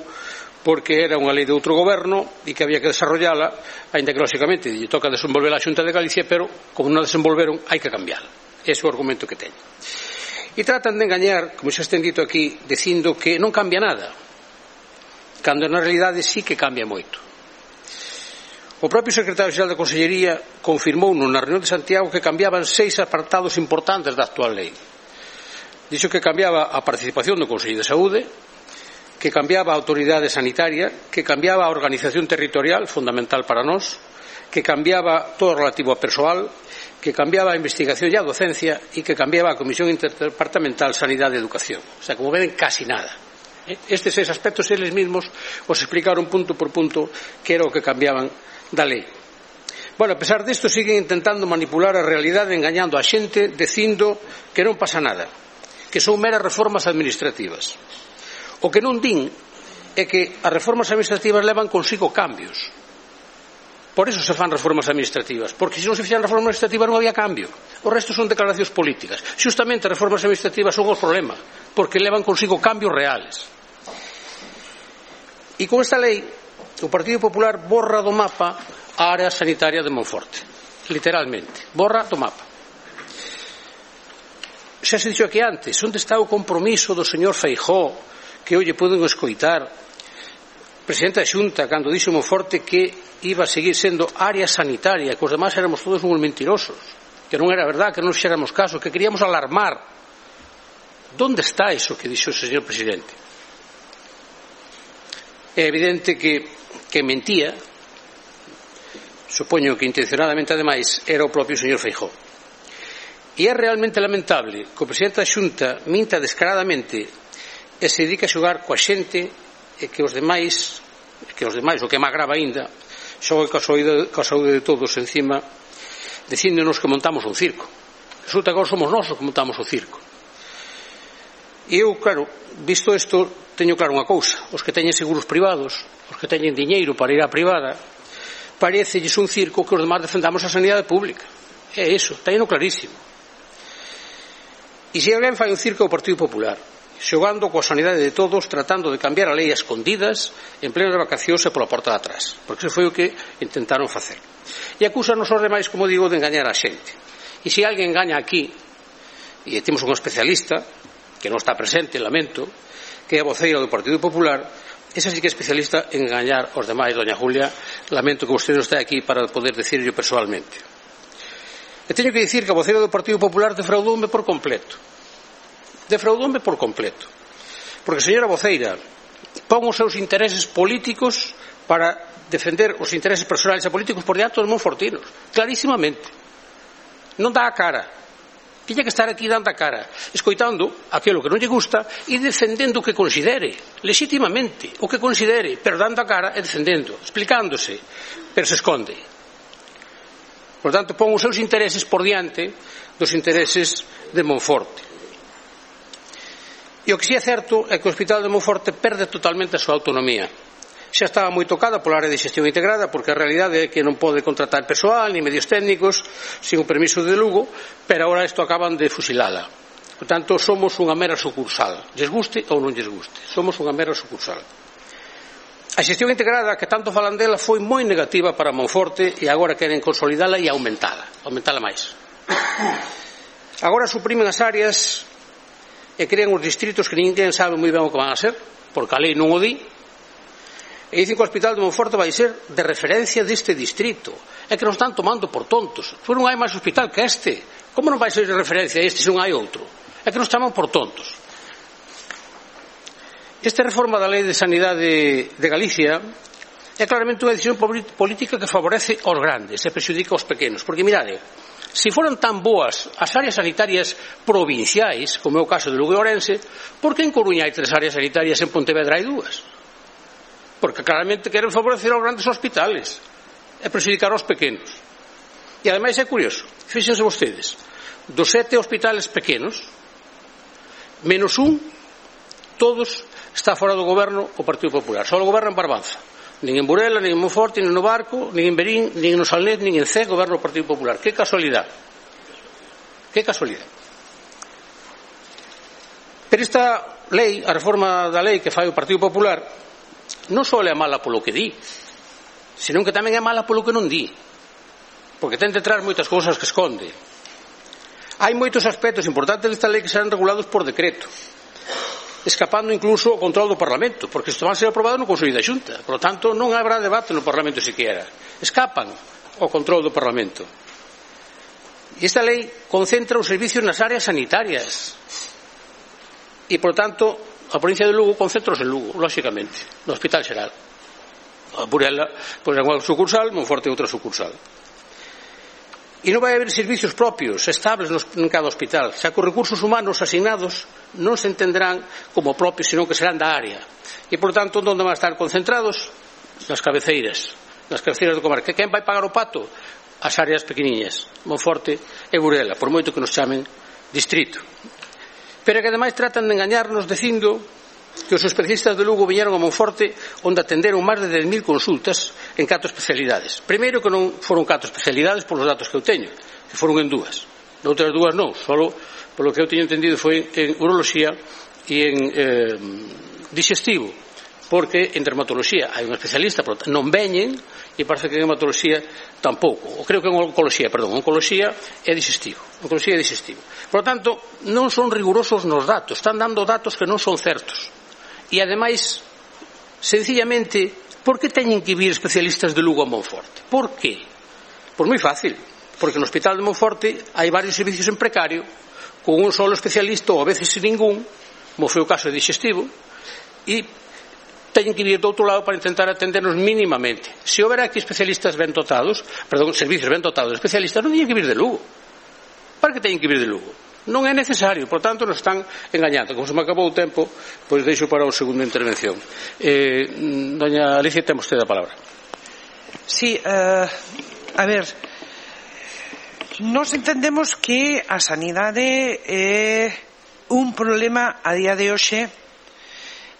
A: porque era unha lei de outro goberno e que había que desarrollala, aínda que lóxicamente lle toca desenvolver a Xunta de Galicia, pero como non a desenvolveron hai que cambiala. Ese é o argumento que teño. E tratan de engañar, como xa estén dito aquí, dicindo que non cambia nada, cando na realidade sí que cambia moito. O propio secretario xeral da Consellería confirmou na reunión de Santiago que cambiaban seis apartados importantes da actual lei. Dixo que cambiaba a participación do Consello de Saúde, que cambiaba a autoridade sanitaria, que cambiaba a organización territorial, fundamental para nós, que cambiaba todo relativo a persoal, que cambiaba a investigación e a docencia e que cambiaba a Comisión Interdepartamental Sanidade e Educación. O sea, como ven, casi nada. Estes seis aspectos eles mismos os explicaron punto por punto que era o que cambiaban da lei. Bueno, a pesar disto, siguen intentando manipular a realidade engañando a xente dicindo que non pasa nada, que son meras reformas administrativas. O que non din é que as reformas administrativas levan consigo cambios. Por eso se fan reformas administrativas, porque se non se fixeran reformas administrativas non había cambio. O resto son declaracións políticas. Xustamente as reformas administrativas son o problema, porque levan consigo cambios reales. E con esta lei, o Partido Popular borra do mapa a área sanitaria de Monforte. Literalmente, borra do mapa. Xa se dixo aquí antes, onde está o compromiso do señor Feijóo, que hoxe poden escoitar, presidente da Xunta, cando dixo Monforte que iba a seguir sendo área sanitaria, que os demás éramos todos uns mentirosos, que non era verdad, que non fixéramos caso, que queríamos alarmar. Donde está iso que dixo o señor presidente? É evidente que, que mentía, supoño que intencionadamente ademais, era o propio señor Feijóo. E é realmente lamentable que o presidente da Xunta minta descaradamente e se dedica a xogar coa xente e que os demais, que os demais, o que é máis grave aínda, xogue coa saúde, coa saúde de todos encima, dicíndonos que montamos un circo. Resulta que agora somos nós os que montamos o circo. E eu, claro, visto isto, teño claro unha cousa: os que teñen seguros privados, os que teñen diñeiro para ir á privada, parecelles un circo que os demais defendamos a sanidade pública. É iso, teño clarísimo. E se alguén fai un circo ao Partido Popular, xogando coa sanidade de todos, tratando de cambiar a lei a escondidas, en plenas vacacións e pola porta de atrás, porque iso foi o que intentaron facer. E acúsanos os demais, como digo, de engañar a xente. E se alguén engaña aquí, e temos un especialista que non está presente, lamento, que é a voceira do Partido Popular, esa sí que é especialista en engañar os demais. Doña Julia, lamento que vostede non este aquí para poder decirlo personalmente. E teño que dicir que a voceira do Partido Popular defraudoume por completo. Defraudoume por completo. Porque, señora voceira, pon os seus intereses políticos para defender os intereses personais e políticos por diante dos monfortinos. Clarísimamente. Non dá a cara. Tiña que estar aquí dando a cara, escoitando aquilo que non lle gusta e defendendo o que considere, legitimamente, o que considere, pero dando a cara e defendendo, explicándose, pero se esconde. Por tanto, pon os seus intereses por diante dos intereses de Monforte. E o que si é certo é que o Hospital de Monforte perde totalmente a súa autonomía. Xa estaba moi tocada pola área de xestión integrada, porque a realidade é que non pode contratar persoal ni medios técnicos sin o permiso de Lugo, pero agora isto acaban de fusilala. Por tanto, somos unha mera sucursal, lles guste ou non lles guste, somos unha mera sucursal. A xestión integrada, que tanto falan dela, foi moi negativa para Monforte e agora queren consolidala e aumentala, aumentala máis. Agora suprimen as áreas e crean os distritos que ninguén sabe moi ben o que van a ser, porque a lei non o di, e dicen que o Hospital de Monforte vai ser de referencia deste distrito. É que nos están tomando por tontos. Se non hai máis hospital que este, como non vai ser de referencia este se non hai outro? É que nos chaman por tontos. Esta reforma da Lei de Sanidade de Galicia é claramente unha decisión política que favorece aos grandes e perxudica aos pequenos. Porque, mirade, se foran tan boas as áreas sanitarias provinciais, como é o caso de Lugo e Ourense, por que en Coruña hai tres áreas sanitarias e en Pontevedra hai dúas? Porque claramente queren favorecer aos grandes hospitales e perxudicar aos pequenos. E ademais é curioso, fíxense vostedes, dos sete hospitales pequenos, menos un, todos está fora do goberno o Partido Popular. Só o goberno en Barbanza. Nin en Burela, nin en Monforte, nin no Barco, nin en Berín, nin no Salnet, nin en Cee, goberno do Partido Popular. Que casualidade. Que casualidade. Pero esta lei, a reforma da lei que fai o Partido Popular, non só é mala polo que di, senón que tamén é mala polo que non di, porque ten detrás moitas cousas que esconde. Hai moitos aspectos importantes desta lei que serán regulados por decreto, escapando incluso o control do Parlamento, porque isto van a ser aprobado no Consello da Xunta, por lo tanto non habrá debate no Parlamento siquiera, escapan ao control do Parlamento. E esta lei concentra os servicios nas áreas sanitarias e, por tanto, a provincia de Lugo concentros en Lugo, lógicamente, no Hospital Xeral. A Burela, pois é unha sucursal, Monforte é outra sucursal. E non vai haber servicios propios, estables en cada hospital, xa que os recursos humanos asignados non se entenderán como propios, senón que serán da área. E, por tanto, onde van a estar concentrados? Nas cabeceiras, nas cabeceiras do comarca. Quen vai pagar o pato? As áreas pequeniñas, Monforte e Burela, por moito que nos chamen distrito. Pero que ademais tratan de engañarnos dicindo que os especialistas de Lugo viñeron a Monforte onde atenderon máis de dez mil consultas en catro especialidades. Primeiro que non foron catro especialidades polos datos que eu teño, que foron en dúas. Noutras dúas non, solo polo que eu teño entendido foi en uroloxía e en eh, digestivo, porque en dermatoloxía hai un especialista, pero non veñen, e parece que en hematoloxía tampouco, ou creo que en oncoloxía, perdón, oncoloxía é digestivo, oncoloxía é digestivo. Por lo tanto, non son rigurosos nos datos, están dando datos que non son certos. E, ademais, sencillamente, por que teñen que vir especialistas de Lugo a Monforte? Por qué? Pois moi fácil, porque no Hospital de Monforte hai varios servicios en precario, con un solo especialista, ou a veces sin ningún, como foi o caso de digestivo, e teñen que vir do outro lado para intentar atendernos mínimamente. Se houbera aquí especialistas ben dotados, perdón, servicios ben dotados de especialistas, non teñen que vir de Lugo. Para que teñen que vir de Lugo? Non é necesario, por tanto nos están engañando. Como se me acabou o tempo, pois deixo para a segunda intervención. eh, Doña Alicia, ten vostede a palabra.
E: Sí, uh, a ver, nos entendemos que a sanidade é un problema a día de hoxe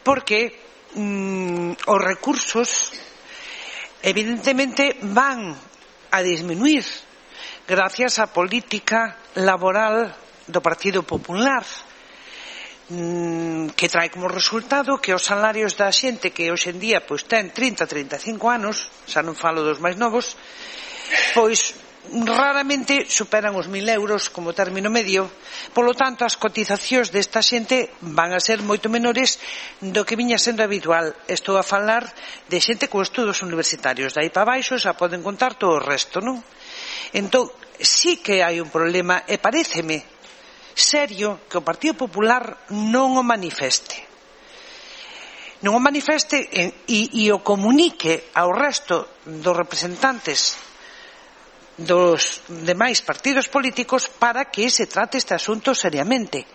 E: porque mm, os recursos evidentemente van a disminuir gracias á política laboral do Partido Popular, que trae como resultado que os salarios da xente que hoxe en día pois ten trinta, trinta e cinco anos, xa non falo dos máis novos, pois raramente superan os mil euros como término medio. Polo tanto, as cotizacións desta xente van a ser moito menores do que viña sendo habitual. Estou a falar de xente con estudos universitarios, de aí para baixo xa poden contar todo o resto, non? Entón, sí que hai un problema, e paréceme serio que o Partido Popular non o manifeste. Non o manifeste e, e o comunique ao resto dos representantes dos demais partidos políticos para que se trate este asunto seriamente.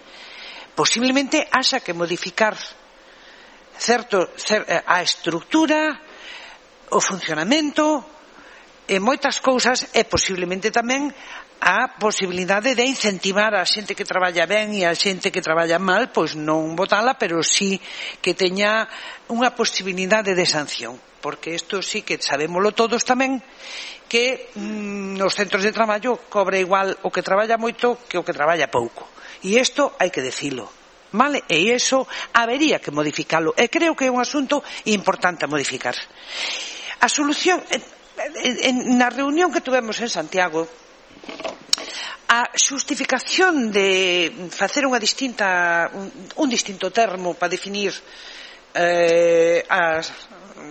E: Posiblemente haxa que modificar certo, cer, a estructura, o funcionamento e moitas cousas, e posiblemente tamén a posibilidade de incentivar a xente que traballa ben e a xente que traballa mal, pois non votala, pero sí que teña unha posibilidade de sanción, porque isto sí que sabémolo todos tamén, que mm, nos centros de traballo cobra igual o que traballa moito que o que traballa pouco, e isto hai que decilo, vale? E iso habería que modificalo, e creo que é un asunto importante a modificar. A solución, na reunión que tuvemos en Santiago, a xustificación de facer unha distinta un, un distinto termo para definir eh, as,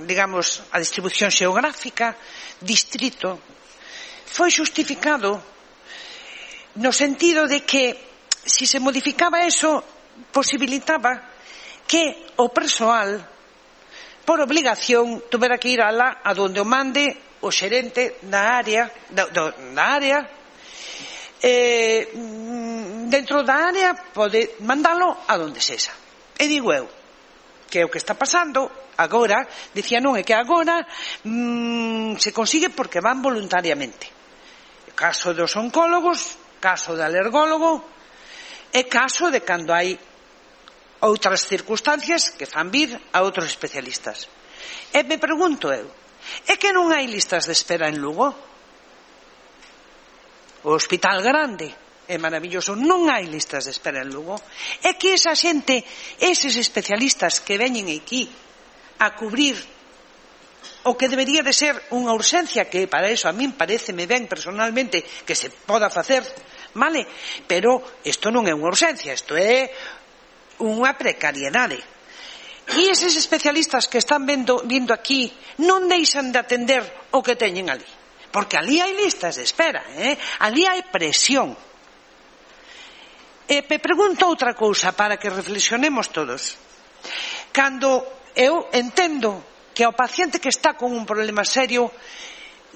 E: digamos, a distribución xeográfica, distrito, foi xustificado no sentido de que si se modificaba eso posibilitaba que o persoal por obligación tuvera que ir alá a donde o mande o xerente da área da, da área eh, dentro da área pode mandalo a donde sexa. E digo eu que é o que está pasando agora, dicía non, é que agora mmm, se consigue porque van voluntariamente. Caso dos oncólogos, caso do alergólogo, e caso de cando hai outras circunstancias que fan vir a outros especialistas. E me pregunto eu, é que non hai listas de espera en Lugo? O hospital grande é maravilloso, non hai listas de espera en Lugo. É que esa xente, eses especialistas que veñen aquí a cubrir o que debería de ser unha urxencia, que para eso a min pareceme ben personalmente que se poda facer, vale? Pero isto non é unha urxencia, isto é unha precariedade. E eses especialistas que están vendo, vindo aquí non deixan de atender o que teñen ali, porque ali hai listas de espera, eh? Ali hai presión. E me pregunto outra cousa para que reflexionemos todos. Cando eu entendo que ao paciente que está con un problema serio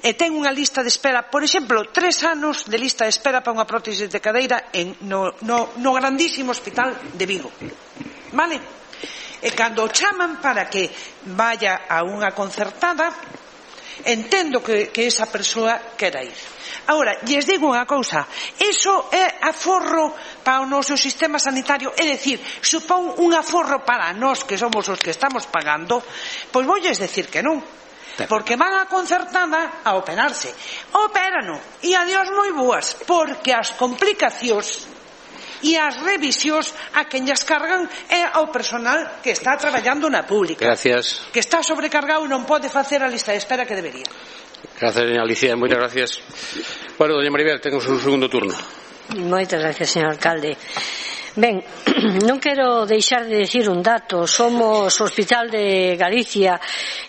E: e ten unha lista de espera, por exemplo, tres anos de lista de espera para unha prótese de cadeira en, no, no, no grandísimo hospital de Vigo, vale? E cando o chaman para que vaya a unha concertada, entendo que, que esa persoa quera ir. Agora, lles digo unha cousa, iso é aforro para o noso sistema sanitario, é dicir, supón un aforro para nós que somos os que estamos pagando, pois voulles decir que non, porque van a concertada a operarse, operano e adiós moi boas, porque as complicacións e as revisións a quen llas cargan é ao personal que está traballando na pública.
A: Gracias.
E: Que está sobrecargado e non pode facer a lista de espera que debería.
A: Gracias, doña Alicia, moitas gracias. Bueno, doña Maribel, temos un segundo turno.
F: Moitas gracias, señor alcalde. Ben, non quero deixar de decir un dato. Somos o Hospital de Galicia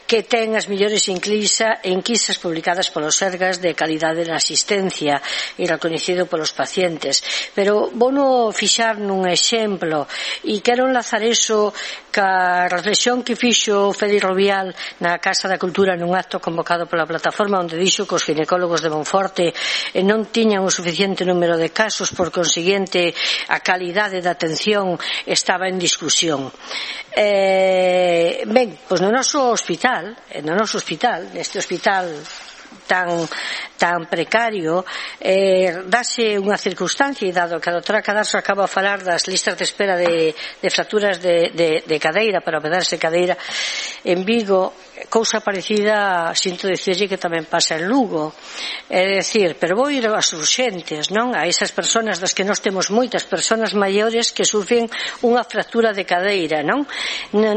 F: que ten as mellores enquisas publicadas polos Sergas de calidade na asistencia e reconhecido polos pacientes. Pero vou fixar nun exemplo e quero enlazar eso ca reflexión que fixo Félix Rovial na Casa da Cultura nun acto convocado pola plataforma, onde dixo que os ginecólogos de Monforte non tiñan o suficiente número de casos, por consiguiente a calidade da atención estaba en discusión. Eh, ben, pois no noso hospital, no noso hospital, neste hospital tan tan precario, eh, dase unha circunstancia, e dado que a doutora Cadarso acaba a falar das listas de espera de, de fracturas de, de, de cadeira para operarse cadeira en Vigo, cousa parecida, sinto dicirlle que tamén pasa en Lugo. É dicir, pero vou ir ás urxentes, non? A esas persoas das que nós temos moitas persoas maiores que sufren unha fractura de cadeira, non?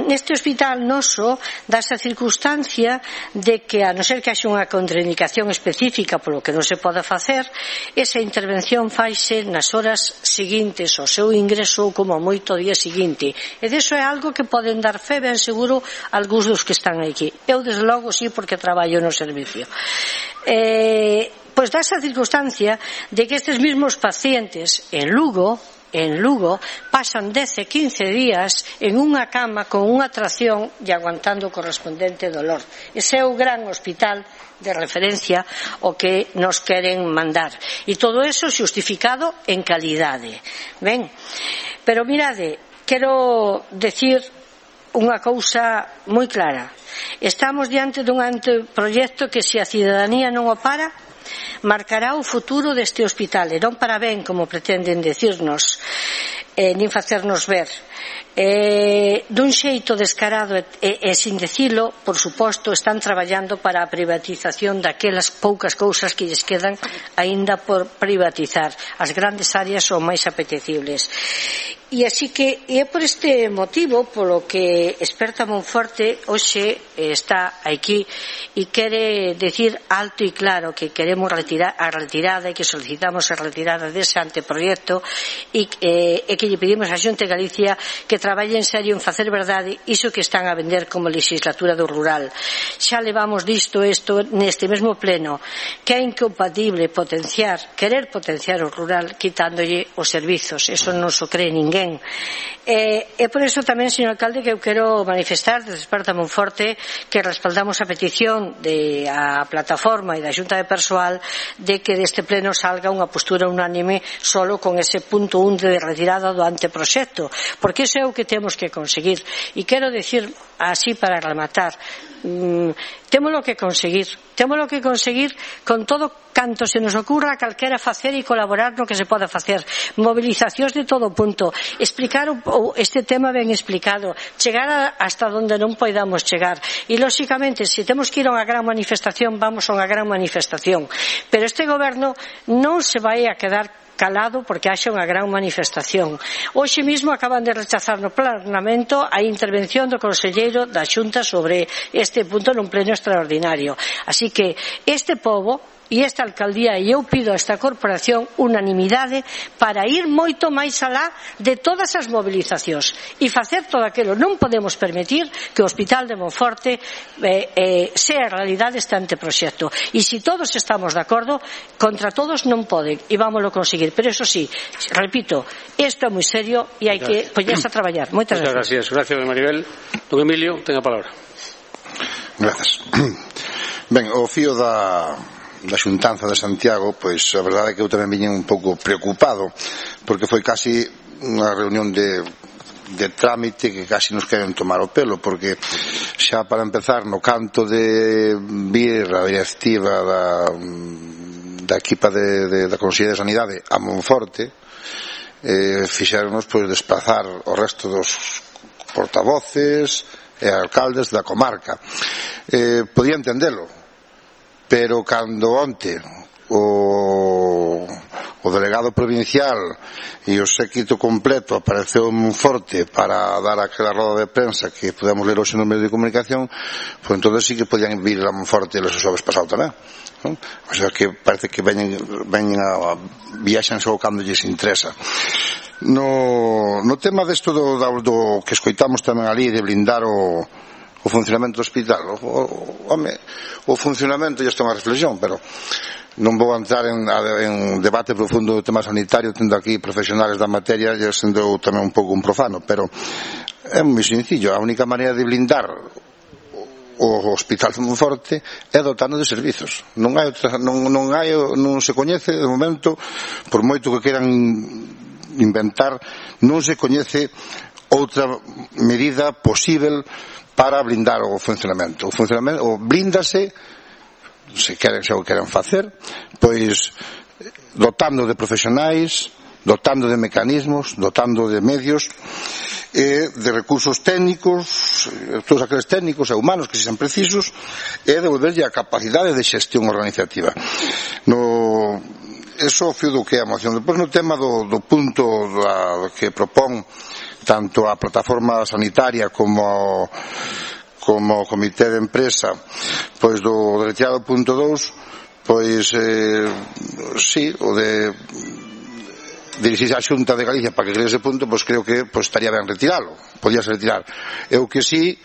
F: Neste hospital noso dase a circunstancia de que, a non ser que haxe unha contraindicación específica polo que non se pode facer, esa intervención faise nas horas seguintes ao seu ingreso ou como moito o día seguinte. E deso é algo que poden dar fe ben seguro algúns dos que están aquí. Eu, desde logo, sí, porque traballo no servicio. Eh, pois dá esa circunstancia de que estes mesmos pacientes en Lugo en Lugo pasan dez e quince días en unha cama con unha tracción e aguantando o correspondente dolor. Ese é o gran hospital de referencia o que nos queren mandar. E todo eso xustificado en calidade. Ben, pero mirade, quero decir unha cousa moi clara. Estamos diante dun anteproyecto que, se a cidadanía non o para, marcará o futuro deste hospital, e non para ben, como pretenden decirnos, eh, nin facernos ver. Eh, dun xeito descarado e, e, e sin decilo, por suposto, están traballando para a privatización daquelas poucas cousas que lles quedan aínda por privatizar. As grandes áreas son máis apetecibles. E así que é por este motivo polo que Experta Monforte hoxe está aquí e quere decir alto e claro que queremos retirar a retirada e que solicitamos a retirada dese anteproyecto e, eh, e que lle pedimos a Xunta de Galicia que traballe en serio en facer verdade iso que están a vender como legislatura do rural. Xa levamos disto isto neste mesmo pleno, que é incompatible potenciar, querer potenciar o rural quitándolle os servizos. Eso non se cree ninguén. E, e por iso tamén, señor alcalde, que eu quero manifestar desde Experta Monforte que respaldamos a petición de a plataforma e da Xunta de Persoal de que deste pleno salga unha postura unánime solo con ese punto un de retirada do anteproxecto, porque iso é o que temos que conseguir. E quero decir así para rematar, mm, témolo que conseguir témolo que conseguir con todo canto se nos ocurra calquera facer e colaborar no que se poda facer, movilizacións de todo punto, explicar o, este tema ben explicado, chegar a, hasta onde non poidamos chegar, e lóxicamente se temos que ir a unha gran manifestación, vamos a unha gran manifestación, pero este goberno non se vai a quedar calado porque haxa unha gran manifestación. Hoxe mesmo acaban de rechazar no Parlamento a intervención do conselleiro da Xunta sobre este punto nun pleno extraordinario. Así que este pobo e esta alcaldía, e eu pido a esta corporación unanimidade para ir moito máis alá de todas as movilizacións e facer todo aquilo. Non podemos permitir que o Hospital de Monforte eh, eh, sea realidade este anteproxecto, e se todos estamos de acordo, contra todos non poden, e vámoslo conseguir. Pero eso sí, repito, isto é moi serio e hai que poñerse a traballar. Moitas gracias.
A: Gracias, gracias, Maribel. Don Emilio, ten a palabra.
G: Gracias. Ben, o fío da, da xuntanza de Santiago, pois a verdade é que eu tamén viñen un pouco preocupado, porque foi casi unha reunión de, de trámite que casi nos queren tomar o pelo, porque xa para empezar no canto de vir a directiva da, da equipa de, de, da Consellería de Sanidade a Monforte, eh, fixéronos pois desplazar o resto dos portavoces e alcaldes da comarca. Eh, podía entendelo, pero cando onte o, o delegado provincial e o séquito completo apareceu en Monforte para dar aquela roda de prensa que podemos ler hoxe no medio de comunicación, pois entonces sí que podían vir a Monforte los xoves pasado tamén, non? O sea que parece que veñen, veñen a, viaxan só cando lles interesa. No, no tema desto do, do, do que escoitamos tamén ali de blindar o o funcionamento do hospital, o, o, home, o funcionamento ya está unha reflexión, pero non vou entrar en, en debate profundo do tema sanitario, tendo aquí profesionales da materia, e sendo tamén un pouco un profano, pero é moi sencillo. A única maneira de blindar o hospital de Monforte é dotando de servizos. Non hai outra, non, non hai, non se coñece de momento, por moito que queran inventar, non se coñece outra medida posible para blindar o funcionamento. O funcionamento, o blíndase, se queren, se o queren facer, pois dotando de profesionais, dotando de mecanismos, dotando de medios e de recursos técnicos, todos aqueles técnicos e humanos que sean precisos, e devolverlle a capacidade de xestión organizativa. No, eso fio do que é a moción. Depois no tema do, do punto da, que propón tanto a plataforma sanitaria como como o comité de empresa, pois do retirado punto dous, pois eh, sí, o de dirixirse á Xunta de Galicia para que cree ese punto, pois creo que pois estaría ben retiralo, podíase retirar. Eu que sí,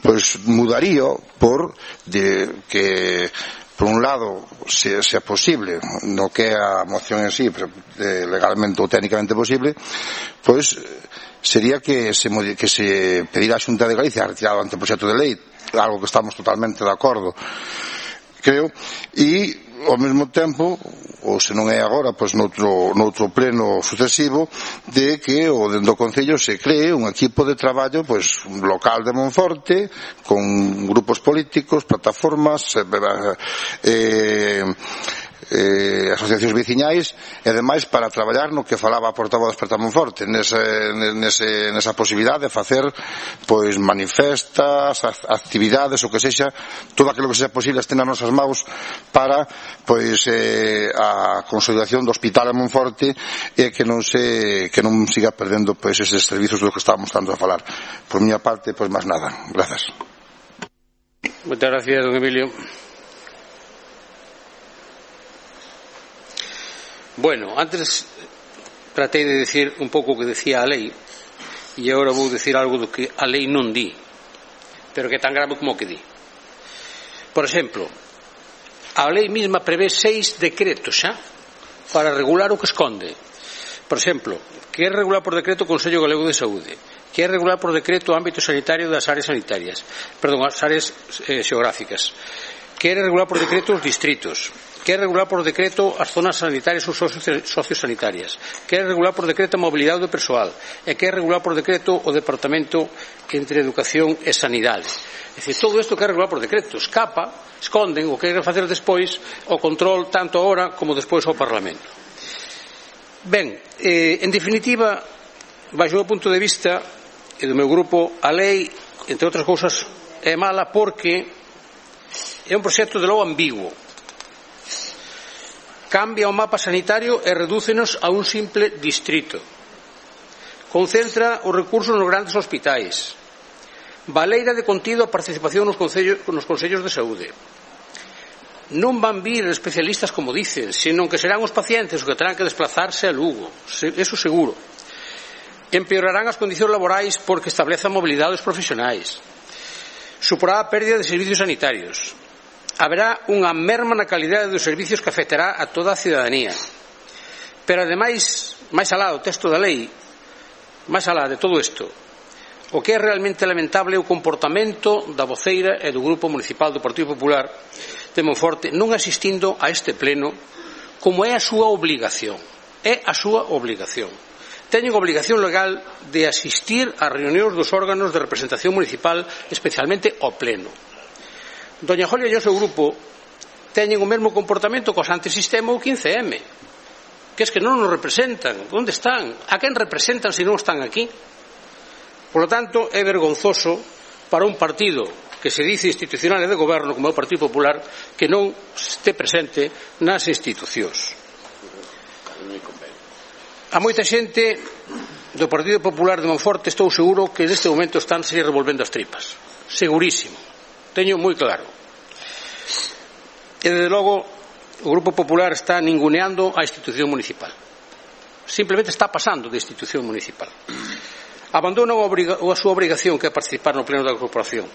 G: pois mudaría por de que por un lado, se, se é posible, no que é a moción en sí, pero, eh, legalmente ou técnicamente posible, pois sería que se, que se pedirá a Xunta de Galicia a retirar o anteproxecto de lei, algo que estamos totalmente de acordo, creo, e ao mesmo tempo, ou se non é agora, pois noutro, noutro pleno sucesivo, de que o dentro do Concello se cree un equipo de traballo pois local de Monforte, con grupos políticos, plataformas, eh, eh, asociacións veciñais e demais para traballar no que falaba a portavoz Despertar Monforte, nese, nese, nesa posibilidade de facer pois manifestas, actividades, o que sexa, todo aquilo que sexa posible este nas nosas maus para pois eh, a consolidación do hospital en Monforte e que non se que non siga perdendo pois eses servizos dos que estábamos tanto a falar. Por miña parte, pois máis nada. Grazas.
A: Moitas gracias, don Emilio. Bueno, antes tratei de decir un pouco o que decía a lei e agora vou decir algo do que a lei non di, pero que é tan grave como que di. Por exemplo, a lei mesma prevé seis decretos xa para regular o que esconde. Por exemplo, que é regular por decreto o Consello Galego de Saúde, que é regular por decreto o ámbito sanitario das áreas sanitarias, perdón, as áreas eh, xeográficas, que é regular por decreto os distritos, que é regular por decreto as zonas sanitarias ou sociosanitarias, que é regular por decreto a mobilidade do persoal e que é regular por decreto o departamento entre educación e sanidade. É dicir, todo isto que é regular por decreto escapa, esconden o que queren facer despois o control tanto agora como despois ao Parlamento. Ben, eh, en definitiva, baixo o punto de vista e do meu grupo, a lei, entre outras cousas, é mala porque é un proxecto de logo ambiguo. Cambia o mapa sanitario e redúcenos a un simple distrito. Concentra os recursos nos grandes hospitais. Baleira de contido a participación nos concellos, nos consellos de saúde. Non van vir especialistas como dicen, senón que serán os pacientes os que terán que desplazarse a Lugo. Eso seguro. Empeorarán as condicións laborais porque establece a mobilidade dos profesionais. Suporá a pérdida de servicios sanitarios. Haberá unha merma na calidade dos servicios que afectará a toda a cidadanía. Pero, ademais, máis alá do texto da lei, máis alá de todo isto, O que é realmente lamentable é o comportamento da voceira e do Grupo Municipal do Partido Popular de Monforte non asistindo a este pleno como é a súa obligación. É a súa obligación. Teñen obligación legal de asistir ás reunións dos órganos de representación municipal, especialmente ao pleno. Doña Jolia e o seu grupo teñen o mesmo comportamento cos antisistema ou quince eme, que es que non nos representan. Onde están? A quen representan se non están aquí? Por lo tanto, é vergonzoso para un partido que se dice institucional e de goberno como é o Partido Popular que non este presente nas institucións. A moita xente do Partido Popular de Monforte estou seguro que neste momento están se revolvendo as tripas. Segurísimo. Teño moi claro. E, desde logo, o Grupo Popular está ninguneando a institución municipal. Simplemente está pasando de institución municipal. Abandonan a súa obrigación, que é participar no pleno da corporación.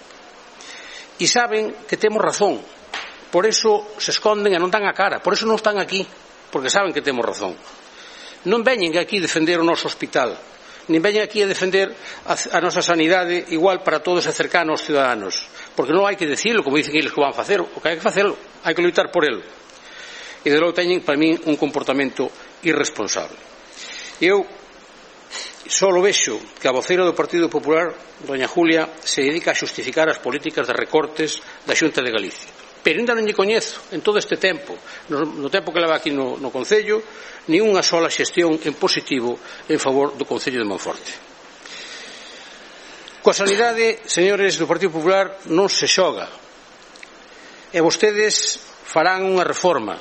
A: E saben que temos razón. Por eso se esconden e non dan a cara. Por eso non están aquí. Porque saben que temos razón. Non veñen aquí defender o noso hospital. Nin veñen aquí a defender a, a nosa sanidade igual para todos e cercana aos ciudadanos. Porque non hai que decirlo, como dicen eles que van facer. O que hai que facelo. Hai que lutar por ele. E de logo teñen, para min, un comportamento irresponsable. Eu solo vexo que a voceira do Partido Popular, doña Julia, se dedica a xustificar as políticas de recortes da Xunta de Galicia. Pero ainda non lle coñezo, en todo este tempo, no, no tempo que leva aquí no, no Concello, ni unha sola xestión en positivo en favor do Concello de Monforte. Coa sanidade, señores do Partido Popular, non se xoga. E vostedes farán unha reforma.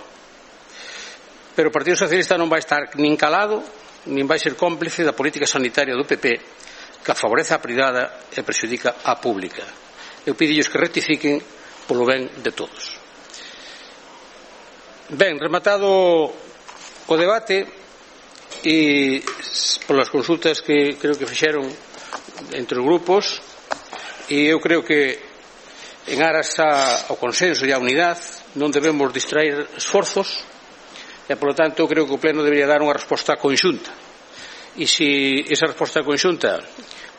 A: Pero o Partido Socialista non vai estar nin calado, nin vai ser cómplice da política sanitaria do P P que favorece a privada e prexudica a pública. Eu pidillos que rectifiquen polo ben de todos. Ben, rematado o debate e polas consultas que creo que fixeron entre os grupos, e eu creo que en aras ao consenso e á unidade non debemos distraer esforzos. E, por lo tanto, creo que o Pleno debería dar unha resposta conxunta. E se esa resposta conxunta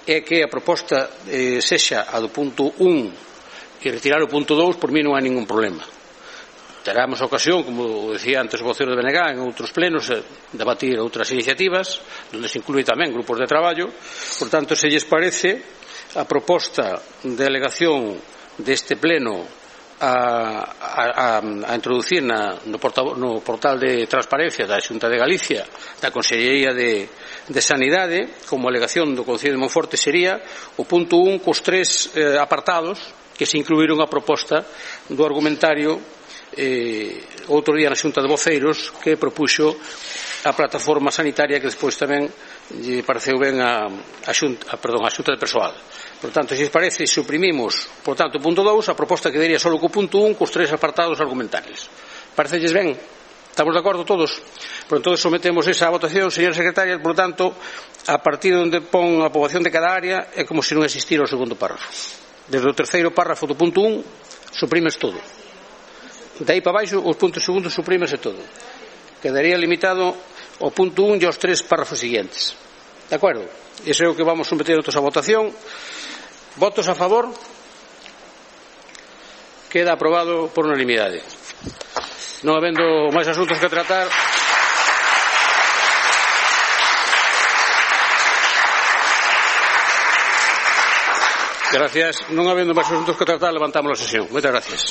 A: é que a proposta eh, sexa a do punto un e retirar o punto dous, por mí non hai ningún problema. Teramos a ocasión, como decía antes o vocero de B N G, en outros plenos, eh, debatir outras iniciativas, onde se inclúe tamén grupos de traballo. Por tanto, se lles parece, a proposta de alegación deste pleno A, a, a introducir na, no, portal, no portal de transparencia da Xunta de Galicia, da Consellería de, de Sanidade, como alegación do Concello de Monforte, sería o punto un cos tres eh, apartados que se incluíron a proposta do argumentario eh, outro día na Xunta de Voceiros, que propuxo a plataforma sanitaria, que despois tamén lle pareceu ben a, a, xunta, a, perdón, a Xunta de Persoal. Por tanto, se os parece, suprimimos, por tanto, o punto dous, a proposta quedaría só co punto un, cos tres apartados argumentales. Parecelles ben? Estamos de acordo todos? Por tanto, sometemos esa votación, señora secretaria. Por tanto, a partir de onde pon a poboación de cada área, é como se non existira o segundo párrafo. Desde o terceiro párrafo do punto un, suprimes todo. De aí para baixo, os puntos segundos suprímese todo. Quedaría limitado ao punto un e aos tres párrafos seguintes. De acordo? Iso é o que vamos someter a votación. Votos a favor? Queda aprobado por unanimidade. Non habendo máis asuntos que tratar, gracias. Non habendo máis asuntos que tratar, levantamos a sesión. Moitas gracias.